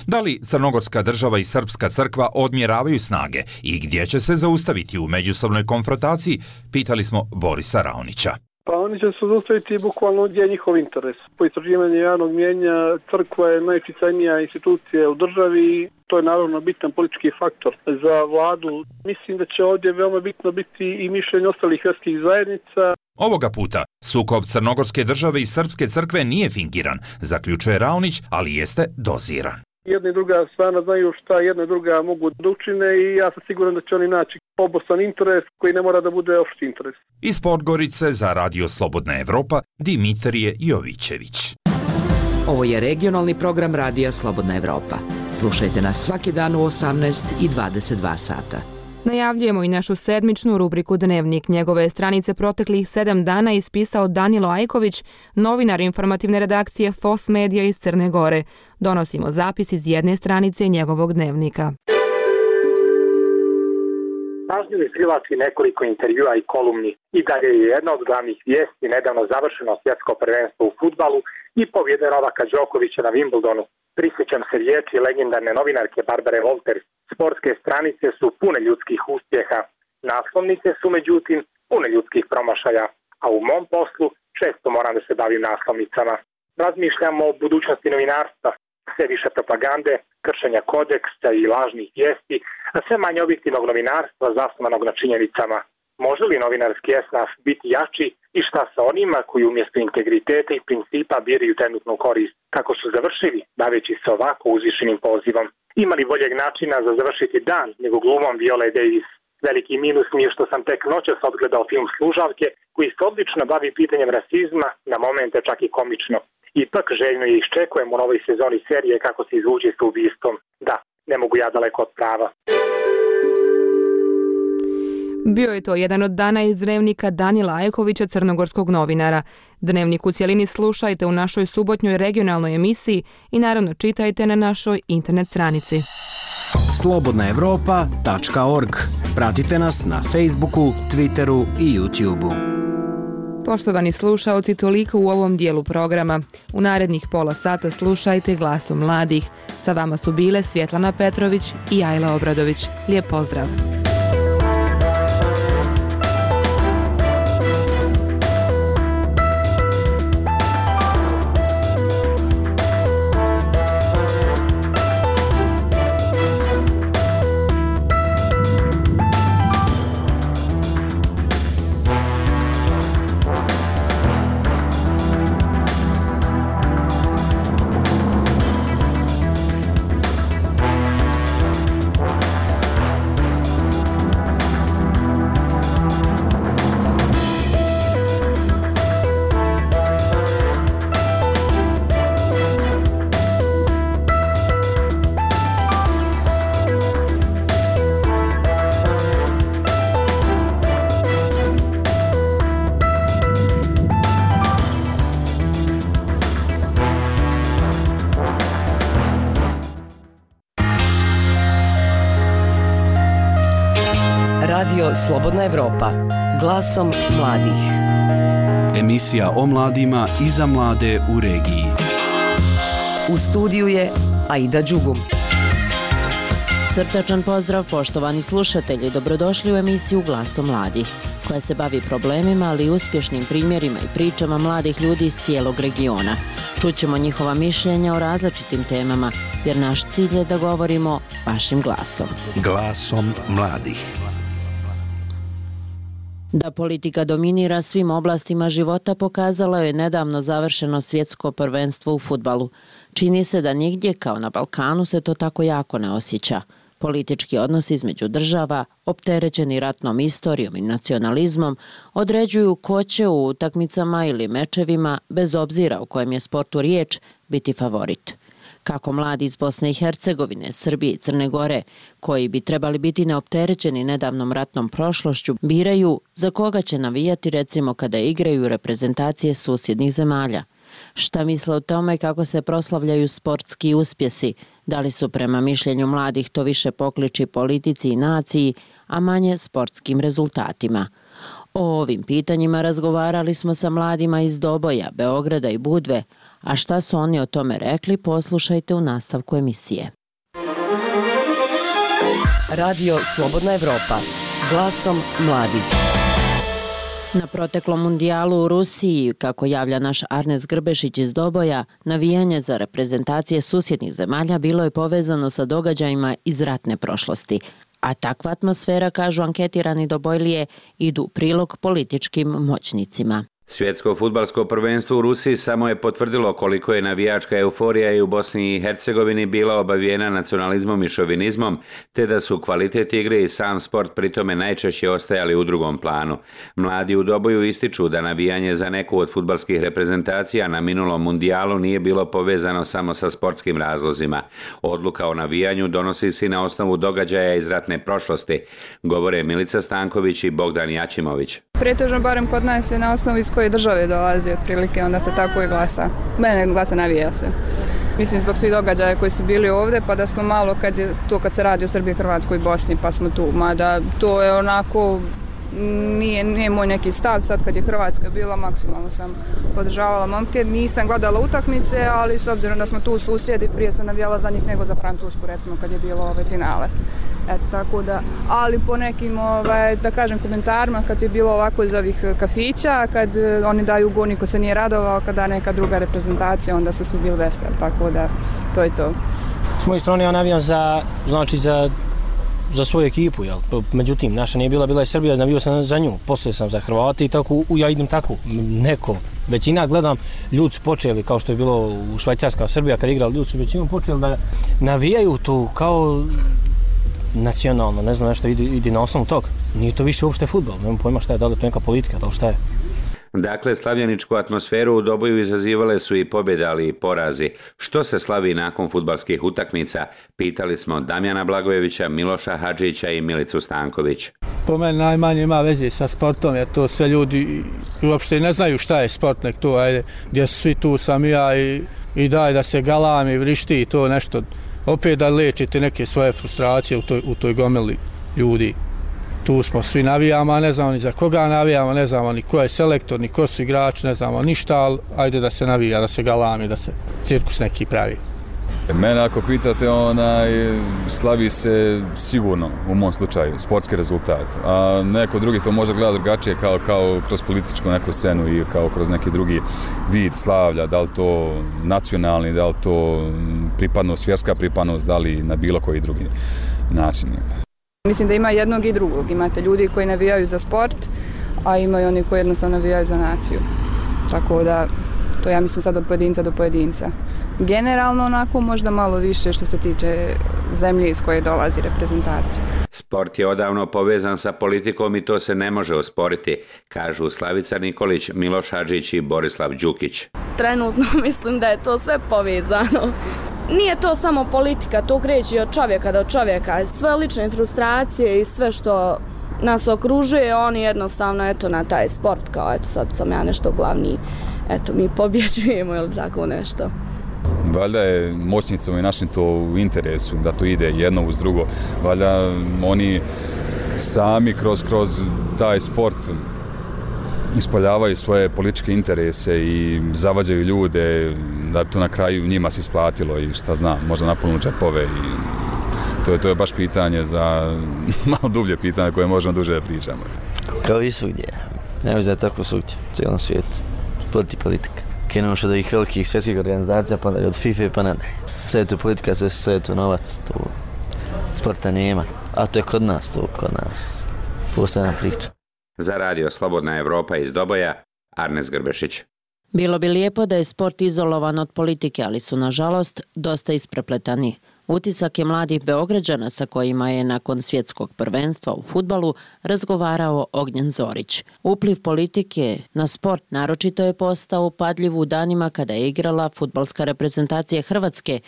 Da li Crnogorska država i Srpska crkva odmjeravaju snage i gdje će se zaustaviti u međusobnoj konfrontaciji, pitali smo Borisa Raonića. Pa oni će se zaustaviti bukvalno gdje je njihov interes. Po istraživanju javnog mnijenja crkva je najutjecajnija institucija u državi, to je naravno bitan politički faktor za vladu. Mislim da će ovdje veoma bitno biti i mišljenje ostalih vjerskih zajednica. Ovoga puta sukob Crnogorske države i Srpske crkve nije fingiran, zaključuje Raonić, ali jeste doziran. Jedna i druga strana znaju šta jedna i druga mogu da učine i ja sam siguran da će oni naći obostrani interes koji ne mora da bude opšti interes. Iz Podgorice za Radio Slobodna Evropa, Dimitrije Jovićević. Ovo je regionalni program Radija Slobodna Evropa. Slušajte nas svaki dan u osamnaest i dvadeset dva sata. Najavljujemo i našu sedmičnu rubriku Dnevnik. Njegove stranice proteklih sedam dana ispisao Danilo Ajković, novinar informativne redakcije F O S Medija iz Crne Gore. Donosimo zapis iz jedne stranice njegovog dnevnika. Pažljivi prilasi nekoliko intervjua i kolumni. I dalje je jedna od glavnih vijesti nedavno završeno svjetsko prvenstvo u fudbalu i pobjede Novaka Đokovića na Wimbledonu. Prisjećam se riječi legendarne novinarke Barbare Wolters. Sportske stranice su pune ljudskih uspjeha. Naslovnice su međutim pune ljudskih promašaja, a u mom poslu često moram da se bavim naslovnicama. Razmišljam o budućnosti novinarstva, sve više propagande, kršenja kodeksa i lažnih vijesti, a sve manje objektivnog novinarstva zasnovanog na činjenicama. Može li novinarski esnaf biti jači i šta sa onima koji umjesto integriteta i principa biraju trenutnu korist? Kako su završili, baveći se ovako uzvišenim pozivom? Ima li boljeg načina za završiti dan nego glumom Viole Davis? Veliki minus mi je što sam tek noćas odgledao film Služavke, koji se odlično bavi pitanjem rasizma, na momente čak i komično. Ipak željno je iščekujem u novoj sezoni serije kako se izvući s ubistvom. Da, ne mogu ja daleko od prava. Bio je to jedan od dana iz dnevnika Danila Ajkovića, crnogorskog novinara. Dnevnik u cjelini slušajte u našoj subotnjoj regionalnoj emisiji i naravno čitajte na našoj internet stranici. slobodna evropa tačka org. Pratite nas na Facebooku, Twitteru i YouTubeu. Poštovani slušaoci, toliko u ovom dijelu programa. U narednih pola sata slušajte Glasom mladih. Sa vama su bile Svjetlana Petrović i Ajla Obradović. Lijep pozdrav! Radio Slobodna Evropa. Glasom mladih. Emisija o mladima i za mlade u regiji. U studiju je Aida Đugum. Srdačan pozdrav poštovani slušatelji, dobrodošli u emisiju Glasom mladih, koja se bavi problemima, ali i uspješnim primjerima i pričama mladih ljudi iz cijelog regiona. Čućemo njihova mišljenja o različitim temama, jer naš cilj je da govorimo vašim glasom. Glasom mladih. Da politika dominira svim oblastima života pokazalo je nedavno završeno svjetsko prvenstvo u fudbalu. Čini se da nigdje, kao na Balkanu, se to tako jako ne osjeća. Politički odnosi između država, opterećeni ratnom istorijom i nacionalizmom, određuju ko će u utakmicama ili mečevima, bez obzira u kojem je sportu riječ, biti favorit. Kako mladi iz Bosne i Hercegovine, Srbije i Crne Gore, koji bi trebali biti neopterećeni nedavnom ratnom prošlošću, biraju za koga će navijati, recimo kada igraju reprezentacije susjednih zemalja. Šta misle o tome kako se proslavljaju sportski uspjesi, da li su prema mišljenju mladih to više pokliči politici i naciji, a manje sportskim rezultatima. O ovim pitanjima razgovarali smo sa mladima iz Doboja, Beograda i Budve, a šta su oni o tome rekli, poslušajte u nastavku emisije. Radio Slobodna Evropa. Glasom mladih. Na proteklom mundijalu u Rusiji, kako javlja naš Arnes Grbešić iz Doboja, navijanje za reprezentacije susjednih zemalja bilo je povezano sa događajima iz ratne prošlosti. A takva atmosfera, kažu anketirani Dobojlije, idu u prilog političkim moćnicima. Svjetsko fudbalsko prvenstvo u Rusiji samo je potvrdilo koliko je navijačka euforija i u Bosni i Hercegovini bila obavijena nacionalizmom i šovinizmom, te da su kvalitet igre i sam sport pritome najčešće ostajali u drugom planu. Mladi u Doboju ističu da navijanje za neku od fudbalskih reprezentacija na minulom mundijalu nije bilo povezano samo sa sportskim razlozima. Odluka o navijanju donosi se na osnovu događaja iz ratne prošlosti, govore Milica Stanković i Bogdan Jačimović. Pretežno, barem kod nas, je na osnovu iz koje države dolazi otprilike, onda se tako i glasa. Mene glasa navija se. Mislim zbog svih događaja koji su bili ovdje, pa da smo malo kad je to kad se radi o Srbiji, Hrvatskoj i Bosni, pa smo tu. Mada to je onako, nije, nije moj neki stav, sad kad je Hrvatska bila, maksimalno sam podržavala momke. Nisam gledala utakmice, ali s obzirom da smo tu susjedi, prije sam navijala za njih nego za Francusku, recimo kad je bilo ove finale. Eto, tako da, ali po nekim, ovaj, da kažem, komentarima, kad je bilo ovako iz ovih kafića, kad oni daju go, niko se nije radovao, kada neka druga reprezentacija, onda su svi bili veseli, tako da, to je to. S moje strane ja navijam za, znači za, za svoju ekipu, jel? Međutim, naša nije bila, bila je Srbija, navijao sam za nju, poslije sam za Hrvate i tako, ja idem tako, neko. Većina, gledam, ljudi su počeli, kao što je bilo u Švajcarska, Srbija, kad igrali, ljudi su većinom počeli da navijaju tu kao nacionalno, ne znam nešto, idi, idi na osnovu tog. Nije to više uopšte fudbal, nemam pojma šta je, da li je to neka politika, da li šta je. Dakle, slavljeničku atmosferu u Doboju izazivale su i pobjede, ali i porazi. Što se slavi nakon fudbalskih utakmica? Pitali smo Damjana Blagojevića, Miloša Hadžića i Milicu Stanković. Po meni najmanje ima veze sa sportom, jer to sve ljudi uopšte ne znaju šta je sport, nek to, ajde, gdje su svi tu, sam ja i, i daj da se galami, vrišti i to nešto. Opet da lečite neke svoje frustracije u toj, u toj gomili ljudi. Tu smo svi navijamo, a ne znamo ni za koga navijamo, ne znamo ni ko je selektor, ni ko su igrači, ne znamo ništa, ali ajde da se navija, da se galami, da se cirkus neki pravi. Mene ako pitate, onaj, slavi se sigurno, u mom slučaju, sportski rezultat. A neko drugi to može gledati drugačije, kao, kao kroz političku neku scenu i kao kroz neki drugi vid slavlja, da li to nacionalni, da li to pripadnost, vjerska pripadnost, da li na bilo koji drugi način. Mislim da ima jednog i drugog. Imate ljudi koji navijaju za sport, a imaju oni koji jednostavno navijaju za naciju. Tako da, to ja mislim sad od pojedinca do pojedinca. Generalno onako možda malo više što se tiče zemlje iz koje dolazi reprezentacija. Sport je odavno povezan sa politikom i to se ne može osporiti, kažu Slavica Nikolić, Miloš Hadžić i Borislav Đukić. Trenutno mislim da je to sve povezano. Nije to samo politika, to kreće od čovjeka do čovjeka. Sve lične frustracije i sve što nas okružuje, oni jednostavno eto na taj sport, kao eto sad sam ja nešto glavni, eto mi pobjeđujemo ili tako nešto. Valjda je moćnicama i našim to u interesu da to ide jedno uz drugo. Valjda oni sami kroz, kroz taj sport ispoljavaju svoje političke interese i zavađaju ljude da bi to na kraju njima se isplatilo i šta znam, možda napolnu džepove i to je, to je baš pitanje za malo dublje pitanje koje možemo duže da pričamo. Kao i svugdje, ne znam da je tako svugdje, u cijelom svijetu, sport i politika. Krenemo što od ovih velikih svjetskih organizacija, pa od FIFA pa nadalje. Sve je tu politika, sve, sve je tu novac, tu sporta nema, a to je kod nas, to kod nas posebna priča. Za radio Slobodna Evropa iz Doboja, Arnes Grbešić. Bilo bi lijepo da je sport izolovan od politike, ali su nažalost dosta isprepletani. Utisak je mladih Beograđana sa kojima je nakon svjetskog prvenstva u fudbalu razgovarao Ognjen Zorić. Upliv politike na sport naročito je postao upadljiv u danima kada je igrala fudbalska reprezentacija Hrvatske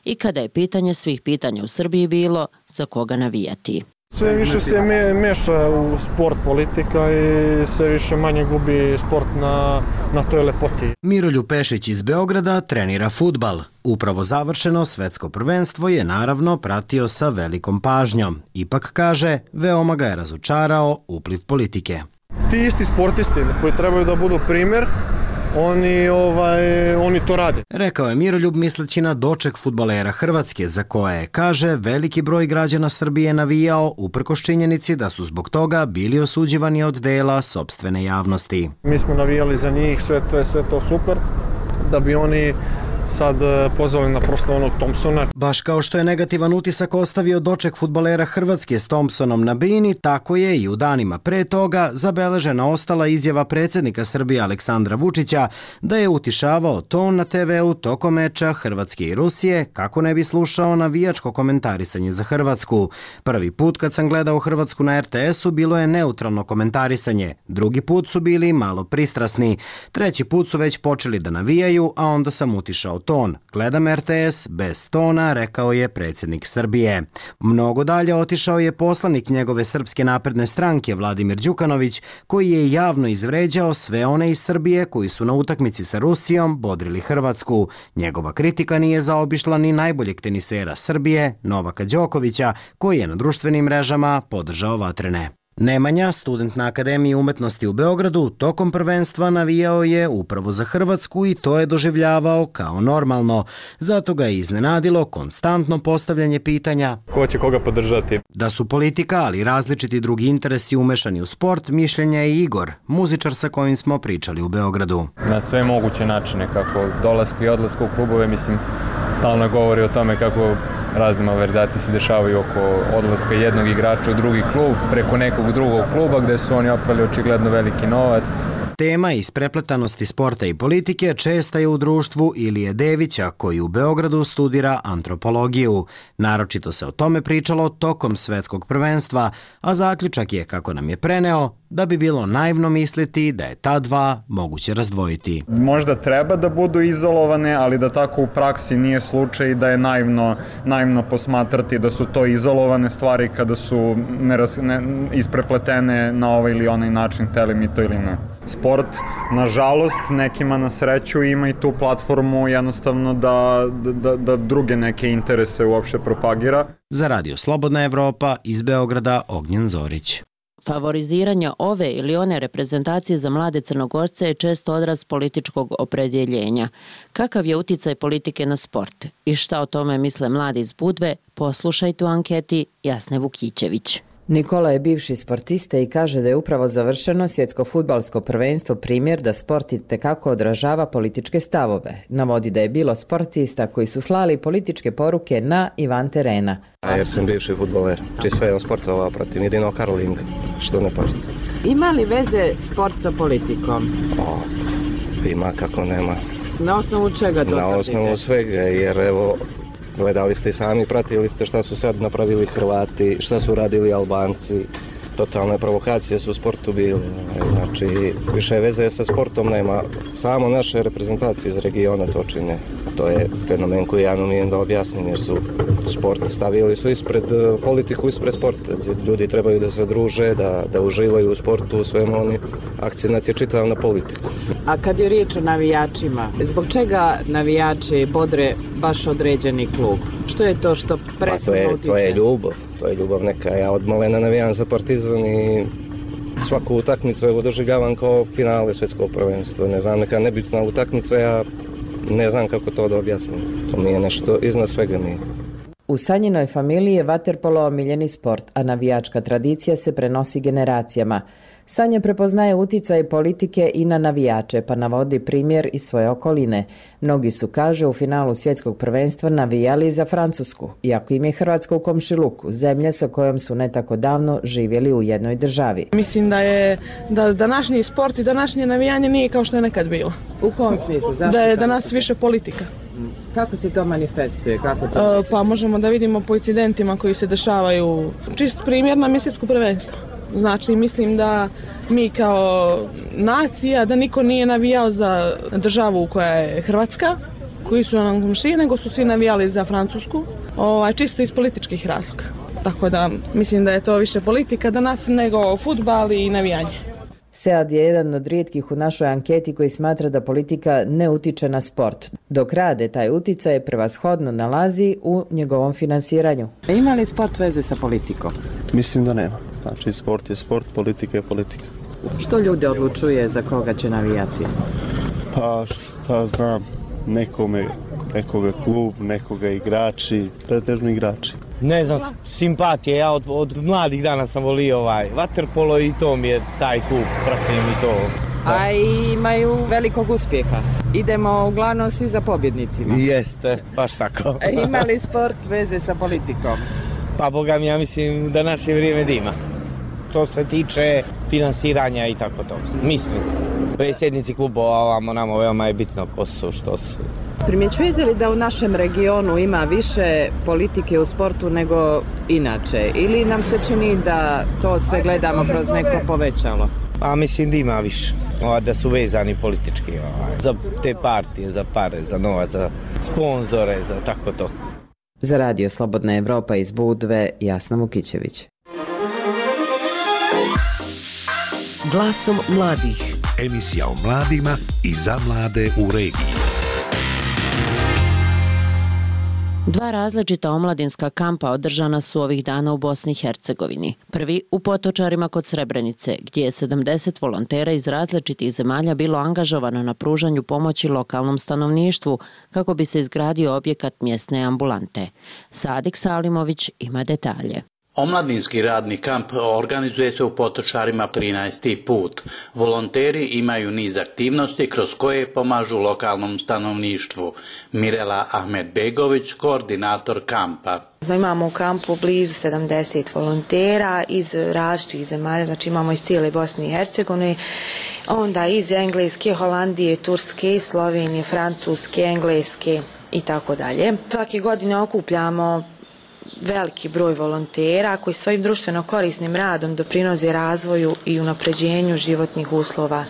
i kada je pitanje svih pitanja u Srbiji bilo za koga navijati. Sve više se me, meša u sport politika i sve više manje gubi sport na, na toj lepoti. Miroljub Pešić iz Beograda trenira fudbal. Upravo završeno svetsko prvenstvo je naravno pratio sa velikom pažnjom. Ipak kaže, veoma ga je razočarao upliv politike. Ti isti sportisti koji trebaju da budu primjer, Oni, ovaj, oni to rade. Rekao je Miroljub misleći na doček fudbalera Hrvatske, za koje, kaže, veliki broj građana Srbije navijao uprkos činjenici da su zbog toga bili osuđivani od dela sopstvene javnosti. Mi smo navijali za njih, sve to je sve to super, da bi oni sad pozvali na proslavu onog Thompsona. Baš kao što je negativan utisak ostavio doček fudbalera Hrvatske s Thompsonom na bini, tako je i u danima pre toga zabeležena ostala izjava predsjednika Srbije Aleksandra Vučića da je utišavao ton na te ve u tokom meča Hrvatske i Rusije kako ne bi slušao navijačko komentarisanje za Hrvatsku. Prvi put kad sam gledao Hrvatsku na er te esu bilo je neutralno komentarisanje, drugi put su bili malo pristrasni, treći put su već počeli da navijaju, a onda sam utišao ton. Gledam er te es bez tona, rekao je predsjednik Srbije. Mnogo dalje otišao je poslanik njegove Srpske napredne stranke Vladimir Đukanović, koji je javno izvređao sve one iz Srbije koji su na utakmici sa Rusijom bodrili Hrvatsku. Njegova kritika nije zaobišla ni najboljeg tenisera Srbije, Novaka Đokovića, koji je na društvenim mrežama podržao vatrene. Nemanja, student na Akademiji umetnosti u Beogradu, tokom prvenstva navijao je upravo za Hrvatsku i to je doživljavao kao normalno. Zato ga je iznenadilo konstantno postavljanje pitanja ko će koga podržati. Da su politika, ali različiti drugi interesi umešani u sport, mišljenja je Igor, muzičar sa kojim smo pričali u Beogradu. Na sve moguće načine, kako dolasku i odlasku u klubove, mislim, stalno govori o tome kako razne malverzacije se dešavaju oko odlaska jednog igrača u drugi klub preko nekog drugog kluba gde su oni oprali očigledno veliki novac. Tema isprepletanosti sporta i politike česta je u društvu Ilije Devića, koji u Beogradu studira antropologiju. Naročito se o tome pričalo tokom svetskog prvenstva, a zaključak je, kako nam je preneo, da bi bilo naivno misliti da je ta dva moguće razdvojiti. Možda treba da budu izolovane, ali da tako u praksi nije slučaj, da je naivno, naivno posmatrati da su to izolovane stvari kada su neraz, ne, isprepletene na ovaj ili onaj način, hteli mi to ili ne. Sport, nažalost, nekima na sreću ima i tu platformu jednostavno da, da, da druge neke interese uopšte propagira. Za Radio Slobodna Evropa iz Beograda Ognjen Zorić. Favoriziranje ove ili one reprezentacije za mlade Crnogorce je često odraz političkog opredjeljenja. Kakav je uticaj politike na sport i šta o tome misle mladi iz Budve, poslušajte u anketi Jasne Vukićević. Nikola je bivši sportista i kaže da je upravo završeno svjetsko fudbalsko prvenstvo primjer da sport itekako odražava političke stavove. Navodi da je bilo sportista koji su slali političke poruke na i van terena. A jer sam bivši fudbaler, či sve on sportova protiv jedino Karolinka, što ne pažete. Ima li veze sport sa politikom? O, ima kako nema. Na osnovu čega to? Na osnovu svega, jer evo, gledali ste i sami, pratili ste šta su sad napravili Hrvati, šta su radili Albanci, totalne provokacije su u sportu bile. Znači, više veze sa sportom nema. Samo naše reprezentacije iz regiona to čine. To je fenomen koji ja ne umijem da objasnim, jer su sport stavili su ispred politiku, ispred sporta. Ljudi trebaju da se druže, da, da uživaju u sportu, u svemu oni. Akcenat je čitav na politiku. A kad je riječ o navijačima, zbog čega navijači bodre baš određeni klub? Što je to što presudno pa to, utiče? to je ljubav, to je ljubav neka. Ja od malena navijam za Partizan i svaku utakmicu evo doživljavam kao finale svjetskog prvenstva. Ne znam, neka nebitna utakmica, ja ne znam kako to da objasnim. To mi je nešto iznad svega mi. U Sanjinoj familiji je vaterpolo omiljeni sport, a navijačka tradicija se prenosi generacijama. Sanja prepoznaje uticaj politike i na navijače, pa navodi primjer iz svoje okoline. Mnogi su, kaže, u finalu svjetskog prvenstva navijali za Francusku, iako im je Hrvatska u komšiluku, zemlja sa kojom su ne tako davno živjeli u jednoj državi. Mislim da je da današnji sport i današnje navijanje nije kao što je nekad bilo. U kom smislu? Zašto da je danas više politika. Kako se to manifestuje? Kako to... E, pa možemo da vidimo po incidentima koji se dešavaju. Čist primjer na svjetsko prvenstvo. Znači, mislim da mi kao nacija, da niko nije navijao za državu koja je Hrvatska, koji su nam komšije, nego su svi navijali za Francusku, ovaj, čisto iz političkih razloga. Tako da mislim da je to više politika danas nego fudbal i navijanje. Sead je jedan od rijetkih u našoj anketi koji smatra da politika ne utiče na sport, dok rade taj uticaj prevashodno nalazi u njegovom finansiranju. Ima li sport veze sa politikom? Mislim da nema. Znači, sport je sport, politika je politika. Što ljude odlučuje za koga će navijati? Pa, šta znam, nekome, nekoga klub, nekoga igrači, pretežno igrači. Ne znam, simpatije, ja od, od mladih dana sam volio ovaj vaterpolo i to mi je taj klub, pratim i to. A imaju velikog uspjeha. Idemo uglavnom svi za pobjednicima. Jeste, baš tako. Ima li sport veze sa politikom? Pa boga mi, ja mislim da naše vrijeme da ima. To se tiče finansiranja i tako to. Mislim, predsjednici klubova ovamo nama veoma je bitno ko su, što su. Primjećujete li da u našem regionu ima više politike u sportu nego inače? Ili nam se čini da to sve gledamo kroz neko povećalo? Pa mislim da ima više. Ova, da su vezani politički. Ova, za te partije, za pare, za novac, za sponzore, za tako to. Za Radio Slobodna Evropa iz Budve, Jasna Vukićević. Glasom mladih. Emisija o mladima i za mlade u regiji. Dva različita omladinska kampa održana su ovih dana u Bosni i Hercegovini. Prvi u Potočarima kod Srebrenice, gdje je sedamdeset volontera iz različitih zemalja bilo angažovano na pružanju pomoći lokalnom stanovništvu kako bi se izgradio objekat mjesne ambulante. Sadik Salimović ima detalje. Omladinski radni kamp organizuje se u Potočarima trinaesti put. Volonteri imaju niz aktivnosti kroz koje pomažu lokalnom stanovništvu. Mirela Ahmedbegović, koordinator kampa. Imamo u kampu blizu sedamdeset volontera iz različitih zemalja, znači imamo iz cijele Bosne i Hercegovine, onda iz Engleske, Holandije, Turske, Slovenije, Francuske, Engleske i tako dalje. Svake godine okupljamo veliki broj volontera koji svojim društveno korisnim radom doprinose razvoju i unapređenju životnih uslova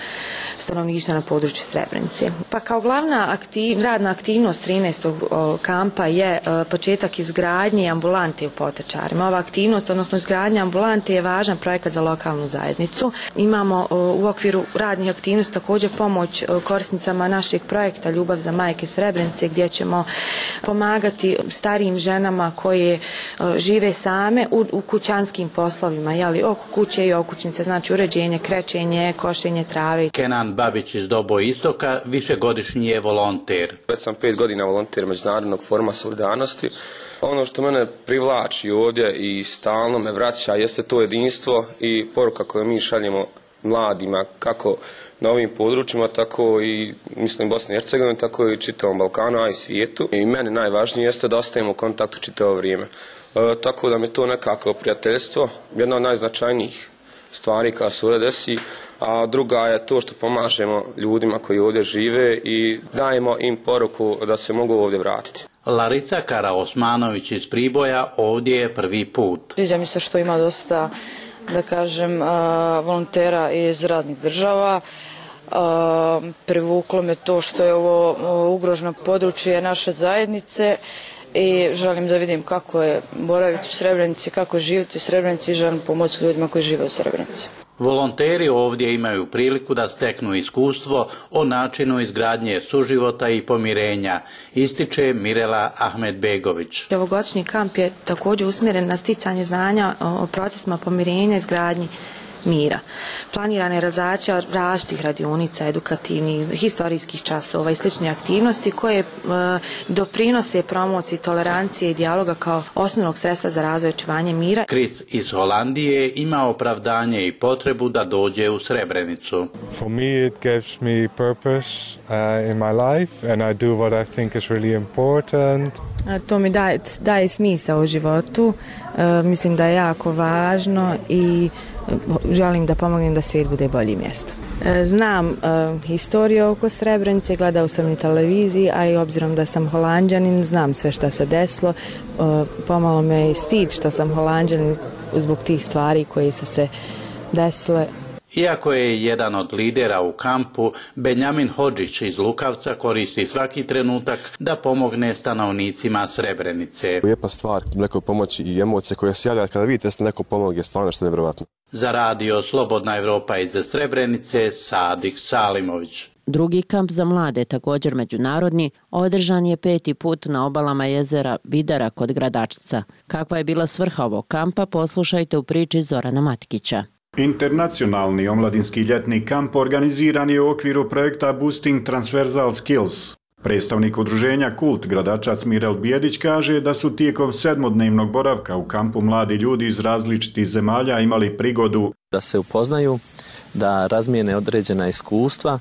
stanovništva na području Srebrenice. Pa kao glavna aktiv, radna aktivnost trinaestog kampa je početak izgradnje ambulante u Potočarima. Ova aktivnost, odnosno izgradnja ambulante, je važan projekat za lokalnu zajednicu. Imamo u okviru radnih aktivnosti također pomoć korisnicama našeg projekta Ljubav za majke Srebrenice, gdje ćemo pomagati starijim ženama koje žive same u, u kućanskim poslovima, jeli, oko kuće i okućnice, znači uređenje, krečenje, košenje trave. Kenan Babić iz Dobo Istoka višegodišnji je volonter. Već sam pet godina volonter Međunarodnog foruma solidarnosti. Ono što mene privlači ovdje i stalno me vraća jeste to jedinstvo i poruka koju mi šaljemo mladima kako na ovim područjima, tako i mislim Bosni i Hercegovini, tako i čitavom Balkanu, a i svijetu. I meni najvažnije jeste da ostajemo u kontaktu čitavo vrijeme. E, tako da mi to nekako prijateljstvo, jedna od najznačajnijih stvari koja se ovdje desi, a druga je to što pomažemo ljudima koji ovdje žive i dajemo im poruku da se mogu ovdje vratiti. Larisa Karaosmanović iz Priboja ovdje je prvi put. Sviđa mi se što ima dosta da kažem, volontera iz raznih država. Privuklo me to što je ovo ugroženo područje naše zajednice i želim da vidim kako je boraviti u Srebrenici, kako živjeti u Srebrenici i želim pomoći ljudima koji žive u Srebrenici. Volonteri ovdje imaju priliku da steknu iskustvo o načinu izgradnje suživota i pomirenja, ističe Mirela Ahmedbegović. Ovogodišnji kamp je također usmjeren na sticanje znanja o procesima pomirenja i izgradnji mira. Planirana je realizacija različitih radionica, edukativnih, historijskih časova i slične aktivnosti koje e, doprinose promociji tolerancije i dijaloga kao osnovnog sredstva za razvoj i očuvanje mira. Chris iz Holandije ima opravdanje i potrebu da dođe u Srebrenicu. For me it gives me purpose uh, in my life and I do what I think is really important. To mi daje, daje smisao u životu. E, mislim da je jako važno i želim da pomognem da svijet bude bolje mjesto. Znam uh, historiju oko Srebrenice, gledao sam i televiziji, a i obzirom da sam Holanđanin, znam sve što se desilo. Uh, pomalo me je stid što sam Holanđanin zbog tih stvari koje su se desile. Iako je jedan od lidera u kampu, Benjamin Hodžić iz Lukavca koristi svaki trenutak da pomogne stanovnicima Srebrenice. Lijepa stvar, neko pomoći i emocije koje se javlja kada vidite da se neko pomogne, stvarno što je nevjerovatno. Za radio Slobodna Evropa iz Srebrenice, Sadik Salimović. Drugi kamp za mlade, također međunarodni, održan je peti put na obalama jezera Vidara kod Gradačca. Kakva je bila svrha ovog kampa, poslušajte u priči Zorana Matkića. Internacionalni omladinski ljetni kamp organiziran je u okviru projekta Boosting Transversal Skills. Predstavnik udruženja Kult Gradačac Mirel Bijedić kaže da su tijekom sedmodnevnog boravka u kampu mladi ljudi iz različitih zemalja imali prigodu da se upoznaju, da razmijene određena iskustva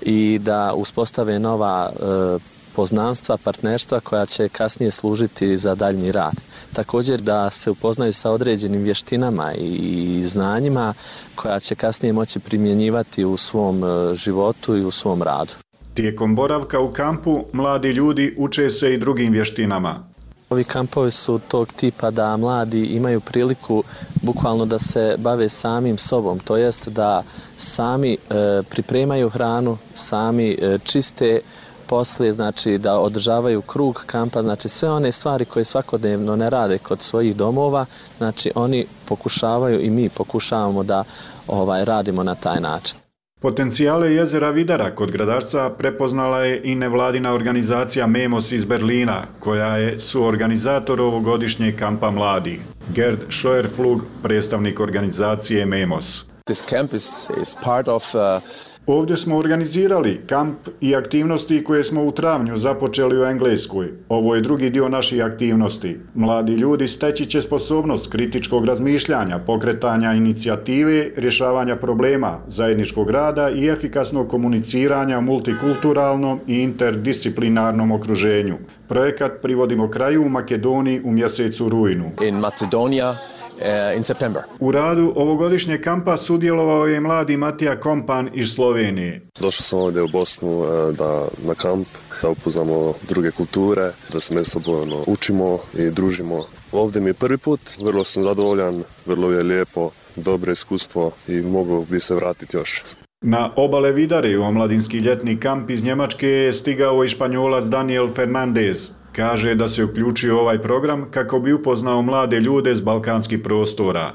i da uspostave nova e, poznanstva, partnerstva koja će kasnije služiti za daljnji rad. Također da se upoznaju sa određenim vještinama i znanjima koja će kasnije moći primjenjivati u svom životu i u svom radu. Tijekom boravka u kampu mladi ljudi uče se i drugim vještinama. Ovi kampovi su tog tipa da mladi imaju priliku bukvalno da se bave samim sobom, to jest da sami e, pripremaju hranu, sami e, čiste poslije, znači da održavaju krug kampa, znači sve one stvari koje svakodnevno ne rade kod svojih domova, znači oni pokušavaju i mi pokušavamo da ovaj radimo na taj način. Potencijale jezera Vidara kod Gradačca prepoznala je i nevladina organizacija Memos iz Berlina, koja je suorganizator ovogodišnjeg kampa mladih. Gerd Scheuerflug, predstavnik organizacije Memos. This camp is, is part of uh... Ovdje smo organizirali kamp i aktivnosti koje smo u travnju započeli u Engleskoj. Ovo je drugi dio naših aktivnosti. Mladi ljudi steći će sposobnost kritičkog razmišljanja, pokretanja inicijative, rješavanja problema, zajedničkog rada i efikasnog komuniciranja u multikulturalnom i interdisciplinarnom okruženju. Projekat privodimo kraju u Makedoniji u mjesecu rujnu. In Macedonia. In September. U radu ovogodišnjeg kampa sudjelovao je mladi Matija Kompan iz Slovenije. Došao sam ovdje u Bosnu da, na kamp, da upoznamo druge kulture, da se međusobno učimo i družimo. Ovdje mi je prvi put, vrlo sam zadovoljan, vrlo je lijepo, dobro iskustvo i mogu bi se vratiti još. Na obale Vidare u omladinski ljetni kamp iz Njemačke je stigao i Španjolac Daniel Fernandez. Kaže da se uključio ovaj program kako bi upoznao mlade ljude s balkanskih prostora.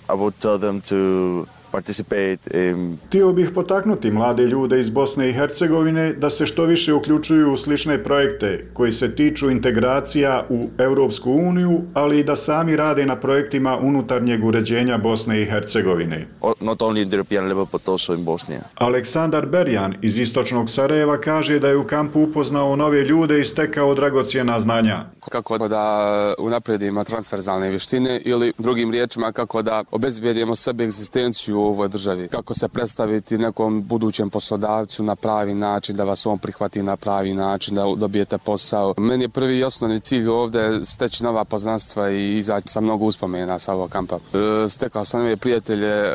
I would tell them to participate in... Htio bih potaknuti mlade ljude iz Bosne i Hercegovine da se što više uključuju u slične projekte koji se tiču integracija u Europsku uniju, ali i da sami rade na projektima unutarnjeg uređenja Bosne i Hercegovine. Not only in the European level, but also in Bosnia. Aleksandar Berjan iz istočnog Sarajeva kaže da je u kampu upoznao nove ljude i stekao dragocjena znanja. Kako da unaprijedimo transverzalne vještine ili drugim riječima kako da obezbijedimo sebi egzistenciju u ovoj državi. Kako se predstaviti nekom budućem poslodavcu na pravi način, da vas on prihvati na pravi način, da dobijete posao. Meni je prvi i osnovni cilj ovdje steći nova poznanstva i izaći sa mnogo uspomena sa ovog kampa. E, stekao sam nove prijatelje e,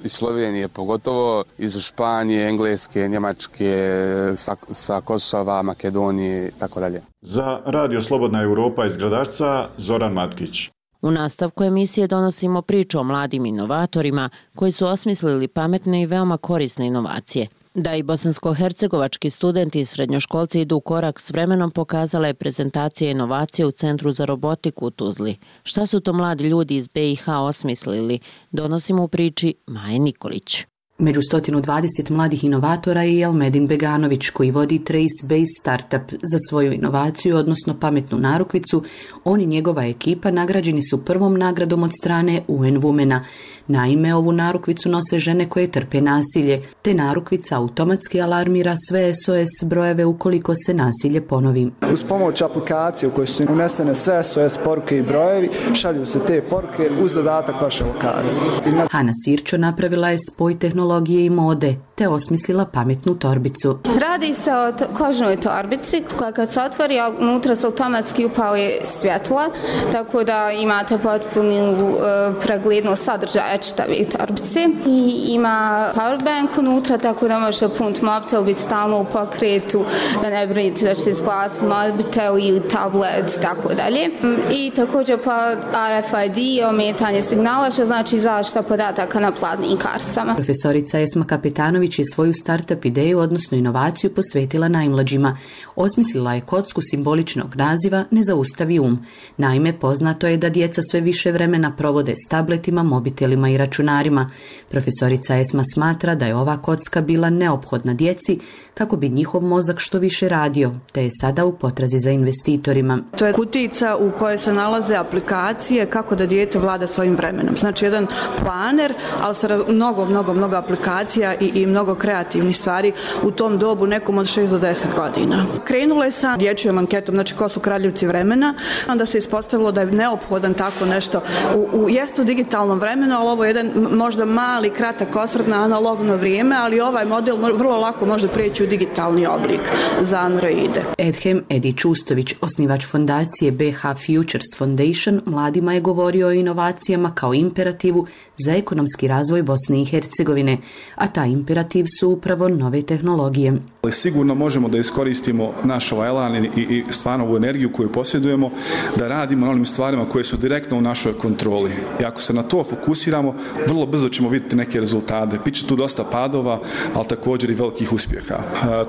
iz Slovenije pogotovo, iz Španije, Engleske, Njemačke, sa, sa Kosova, Makedonije i tako dalje. Za Radio Slobodna Europa iz Gradačca, Zoran Matkić. U nastavku emisije donosimo priču o mladim inovatorima koji su osmislili pametne i veoma korisne inovacije. Da i bosansko-hercegovački studenti i srednjoškolci idu u korak s vremenom pokazala je prezentacija inovacije u Centru za robotiku u Tuzli. Šta su to mladi ljudi iz B i H osmislili? Donosimo u priči Maje Nikolić. Među sto dvadeset mladih inovatora je i Elmedin Beganović, koji vodi Trace Base Startup. Za svoju inovaciju, odnosno pametnu narukvicu, on i njegova ekipa nagrađeni su prvom nagradom od strane U N Womena. Naime, ovu narukvicu nose žene koje trpe nasilje, te narukvica automatski alarmira sve S O S brojeve ukoliko se nasilje ponovi. Uz pomoć aplikacije u kojoj su unesene sve S O S poruke i brojevi, šalju se te poruke uz dodatak vaše lokacije. Hana Sirčo napravila je spoj tehnologije i mode, te osmislila pametnu torbicu. Radi se o kožnoj torbici koja kad se otvori, unutra se automatski upali svjetla, tako da imate potpunu uh, preglednost sadržaja čitave torbice. I ima powerbank unutra, tako da možete puniti mobitel, biti stalno u pokretu, da ne brinite da će se splasiti mobitel ili tablet, tako dalje. I također pa R F I D, ometanje signala, što znači zaštita podataka na platnim karticama. Profesorica Esma Kapetanović je svoju startup ideju, odnosno inovaciju, posvetila najmlađima. Osmislila je kocku simboličnog naziva Ne zaustavi um. Naime, poznato je da djeca sve više vremena provode s tabletima, mobitelima i računarima. Profesorica Esma smatra da je ova kocka bila neophodna djeci kako bi njihov mozak što više radio, te je sada u potrazi za investitorima. To je kutica u kojoj se nalaze aplikacije kako da dijete vlada svojim vremenom. Znači jedan planer, ali sa mnogo, mnogo, mnogo aplikacija i, i mnogo kreativnih stvari u tom dobu, nekom od šest do deset godina. Krenulo je sa dječjom anketom, znači ko su kraljevci vremena, onda se ispostavilo da je neophodan tako nešto u, u jestu digitalnom vremenu, ali ovo je jedan možda mali, kratak osvrt na analogno vrijeme, ali ovaj model vrlo lako može prijeći u digitalni oblik za Androide. Edhem Edi Čustović, osnivač fondacije B H Futures Foundation, mladima je govorio o inovacijama kao imperativu za ekonomski razvoj Bosne i Hercegovine, a taj imperativ su upravo nove tehnologije. Sigurno možemo da iskoristimo naš ovaj elan i, i stvarno ovu energiju koju posjedujemo, da radimo na onim stvarima koje su direktno u našoj kontroli. I ako se na to fokusiramo, vrlo brzo ćemo vidjeti neke rezultate. Biće tu dosta padova, ali također i velikih uspjeha.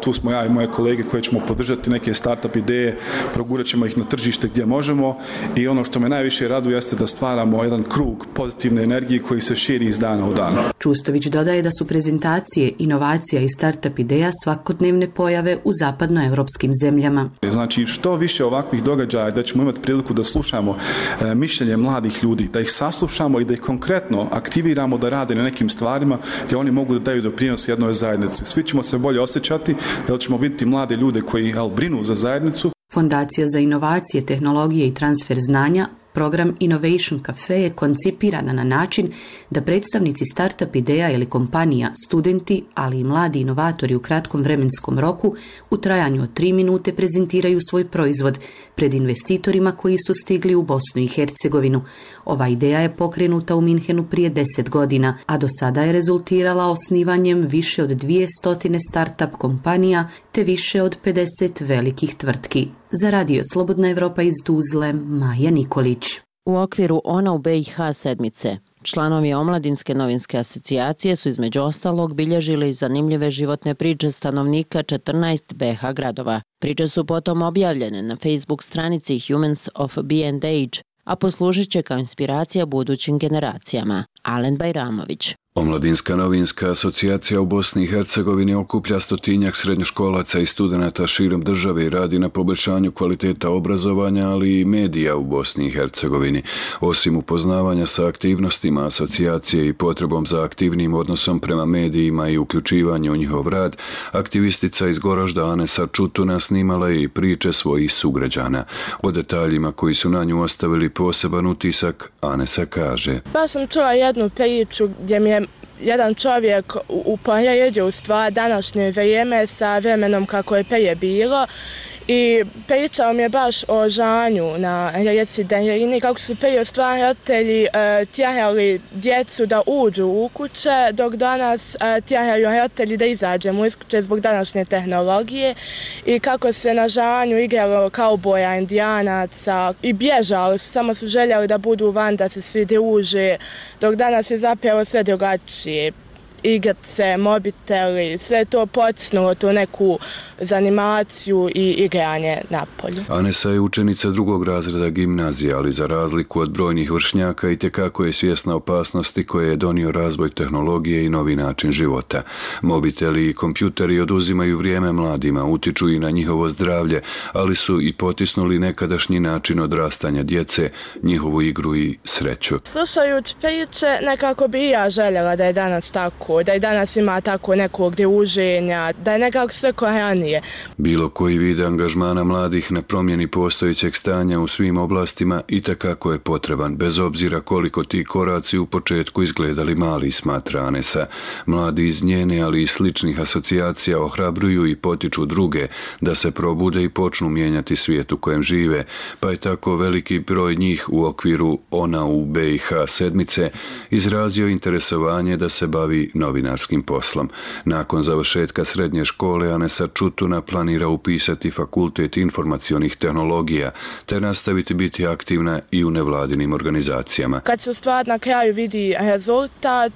Tu smo ja i moje kolege koje ćemo podržati neke startup ideje, progurat ćemo ih na tržište gdje možemo i ono što me najviše raduje jeste da stvaramo jedan krug pozitivne energije koji se širi iz dana u dan. Čustović dodaje da su prezentacije, inovacija i startup ideja svakodnevne pojave u zapadnoevropskim zemljama. Znači što više ovakvih događaja da ćemo imati priliku da slušamo e, mišljenje mladih ljudi, da ih saslušamo i da ih konkretno aktiviramo da rade na nekim stvarima gdje oni mogu da daju doprinos jednoj zajednici. Svi ćemo se bolje osjećati, da ćemo vidjeti mlade ljude koji jel, brinu za zajednicu. Fondacija za inovacije, tehnologije i transfer znanja, program Innovation Cafe, je koncipirana na način da predstavnici startup ideja ili kompanija, studenti, ali i mladi inovatori u kratkom vremenskom roku u trajanju od tri minute prezentiraju svoj proizvod pred investitorima koji su stigli u Bosnu i Hercegovinu. Ova ideja je pokrenuta u Minhenu prije deset godina, a do sada je rezultirala osnivanjem više od dvjesto startup kompanija te više od pedeset velikih tvrtki. Za radio Slobodna Evropa iz Tuzle, Maja Nikolić. U okviru Ona u B i H sedmice, članovi Omladinske novinske asocijacije su između ostalog bilježili zanimljive životne priče stanovnika četrnaest B H gradova. Priče su potom objavljene na Facebook stranici Humans of Be and Age, a poslužit će kao inspiracija budućim generacijama. Alen Bajramović. Omladinska novinska asocijacija u Bosni i Hercegovini okuplja stotinjak srednjoškolaca i studenata širom države i radi na poboljšanju kvaliteta obrazovanja, ali i medija u Bosni i Hercegovini. Osim upoznavanja sa aktivnostima asocijacije i potrebom za aktivnim odnosom prema medijima i uključivanju u njihov rad, aktivistica iz Goražda Anesa Čutuna snimala je i priče svojih sugrađana. O detaljima koji su na nju ostavili poseban utisak, Anesa kaže: Pa sam čula jednu priču gdje mi je jedan čovjek uporedio u stvar današnje vrijeme sa vremenom kako je prije bilo i pričao mi je baš o žanju na rijeci Drenjarini, kako su prije stvaratelji e, tjerali djecu da uđu u kuće, dok danas e, tjeraju roditelji da izađemo iz kuće zbog današnje tehnologije i kako se na žanju igralo kauboja, indijanaca i bježali su, samo su željeli da budu van, da se svi druže, dok danas je zapravo sve drugačije. Igrice, mobiteli, sve to potisnulo tu neku zanimaciju i igranje napolju. Anesa je učenica drugog razreda gimnazije, ali za razliku od brojnih vršnjaka itekako je svjesna opasnosti koje je donio razvoj tehnologije i novi način života. Mobiteli i kompjuteri oduzimaju vrijeme mladima, utiču i na njihovo zdravlje, ali su i potisnuli nekadašnji način odrastanja djece, njihovu igru i sreću. Slušajući priče, nekako bi i ja željela da je danas tako, da i danas ima tako nekog druženja, da je nekako sve ko ranije. Bilo koji vid angažmana mladih na promjeni postojećeg stanja u svim oblastima itekako je potreban, bez obzira koliko ti koraci u početku izgledali mali, smatra Anesa. Mladi iz njene, ali i sličnih asocijacija ohrabruju i potiču druge da se probude i počnu mijenjati svijet u kojem žive, pa je tako veliki broj njih u okviru Ona u B i H sedmice izrazio interesovanje da se bavi novinarskim poslom. Nakon završetka srednje škole Anesa Čutuna planira upisati fakultet informacionih tehnologija te nastaviti biti aktivna i u nevladinim organizacijama. Kad se stvar na kraju vidi rezultat,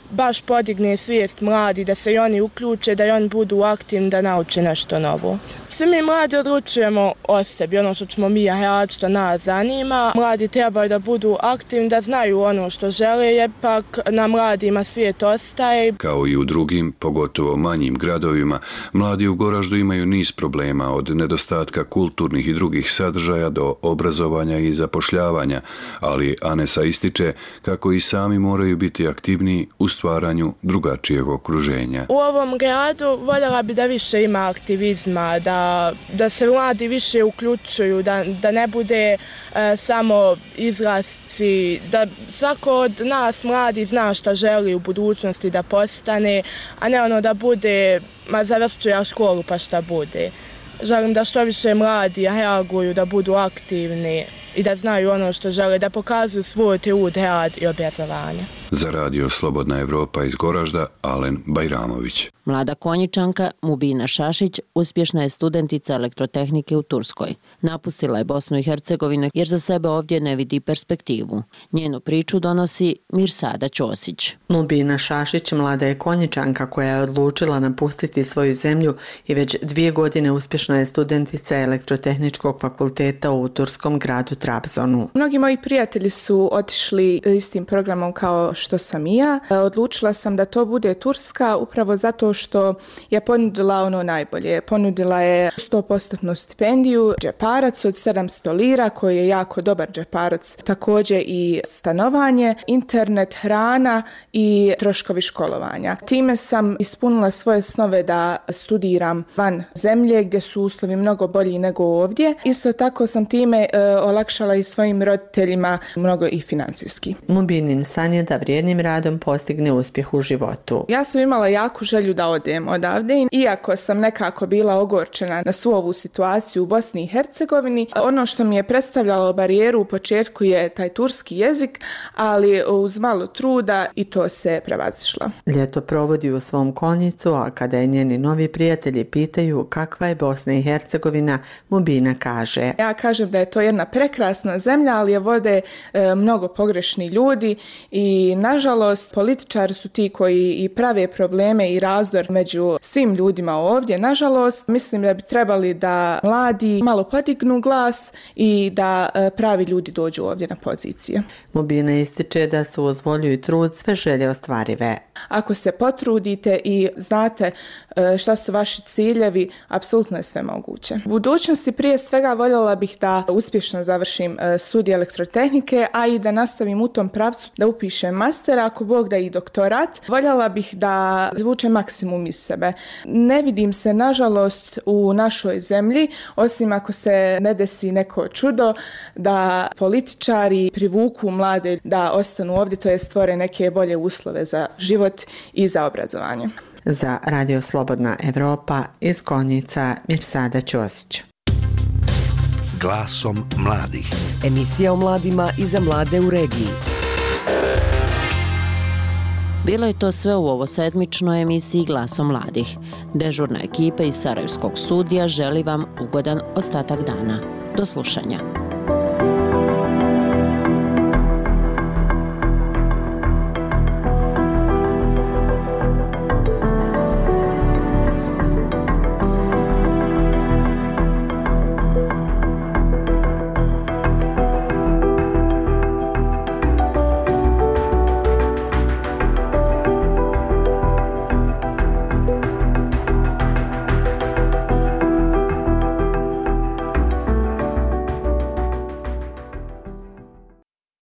baš podigne svijest mladi da se i oni uključe, da i oni budu aktivni, da nauče nešto novo. Svi mi mladi odlučujemo o sebi, ono što ćemo mi raditi, što nas zanima. Mladi trebaju da budu aktivni, da znaju ono što žele, jer pak na mladima svijet ostaje. Kao i u drugim, pogotovo manjim gradovima, mladi u Goraždu imaju niz problema, od nedostatka kulturnih i drugih sadržaja do obrazovanja i zapošljavanja, ali Anesa ističe kako i sami moraju biti aktivniji u stvaranju drugačijeg okruženja. U ovom gradu voljela bi da više ima aktivizma, da da se mladi više uključuju, da, da ne bude e, samo izlasci, da svako od nas mladi zna šta želi u budućnosti da postane, a ne ono da bude, ma završću ja školu pa šta bude. Želim da što više mladi reaguju, da budu aktivni i da znaju ono što žele, da pokazuju svoj trud, rad i obrazovanje. Za radio Slobodna Evropa iz Goražda, Alen Bajramović. Mlada Konjičanka Mubina Šašić uspješna je studentica elektrotehnike u Turskoj. Napustila je Bosnu i Hercegovinu jer za sebe ovdje ne vidi perspektivu. Njenu priču donosi Mirsada Ćosić. Mubina Šašić mlada je Konjičanka koja je odlučila napustiti svoju zemlju i već dvije godine uspješna je studentica elektrotehničkog fakulteta u turskom gradu Trabzonu. Mnogi moji prijatelji su otišli istim programom kao što sam i ja. Odlučila sam da to bude Turska upravo zato što je ponudila ono najbolje. Ponudila je sto posto stipendiju, džeparac od sedamsto lira koji je jako dobar džeparac, također i stanovanje, internet, hrana i troškovi školovanja. Time sam ispunila svoje snove da studiram van zemlje gdje su uslovi mnogo bolji nego ovdje. Isto tako sam time e, olakšala i svojim roditeljima mnogo i financijski. Mubinin san je da vrijednim radom postigne uspjeh u životu. Ja sam imala jaku želju da odem odavde, iako sam nekako bila ogorčena na svu ovu situaciju u Bosni i Hercegovini. Ono što mi je predstavljalo barijeru u početku je taj turski jezik, ali uz malo truda i to se prevazišlo. Ljeto provodi u svom Konjicu, a kada je njeni novi prijatelji pitaju kakva je Bosna i Hercegovina, Mubina kaže: Ja kažem da je to jedna prekrasna zemlja, ali je vode e, mnogo pogrešni ljudi i nažalost političari su ti koji i prave probleme i razdor među svim ljudima ovdje. Nažalost, mislim da bi trebali da mladi malo podignu glas i da e, pravi ljudi dođu ovdje na pozicije. Mubina ističe da su uz volju i trud sve želje ostvarive. Ako se potrudite i znate e, šta su vaši ciljevi, apsolutno je sve moguće. U budućnosti prije svega voljela bih da uspješno završim e, studij elektrotehnike, a i da nastavim u tom pravcu, da upišem master, ako Bog da i doktorat. Voljela bih da izvučem maksimum iz sebe. Ne vidim se, nažalost, u našoj zemlji, osim ako se ne desi neko čudo, da političari privuku mlade da ostanu ovdje, to je stvore neke bolje uslove za život i za obrazovanje. Za Radio Slobodna Evropa iz Konjica Mirsada Ćosić. Glasom mladih. Emisija o mladima i za mlade u regiji. Bilo je to sve u ovo sedmičnoj emisiji Glasom mladih. Dežurna ekipa iz Sarajevskog studija želi vam ugodan ostatak dana. Do slušanja.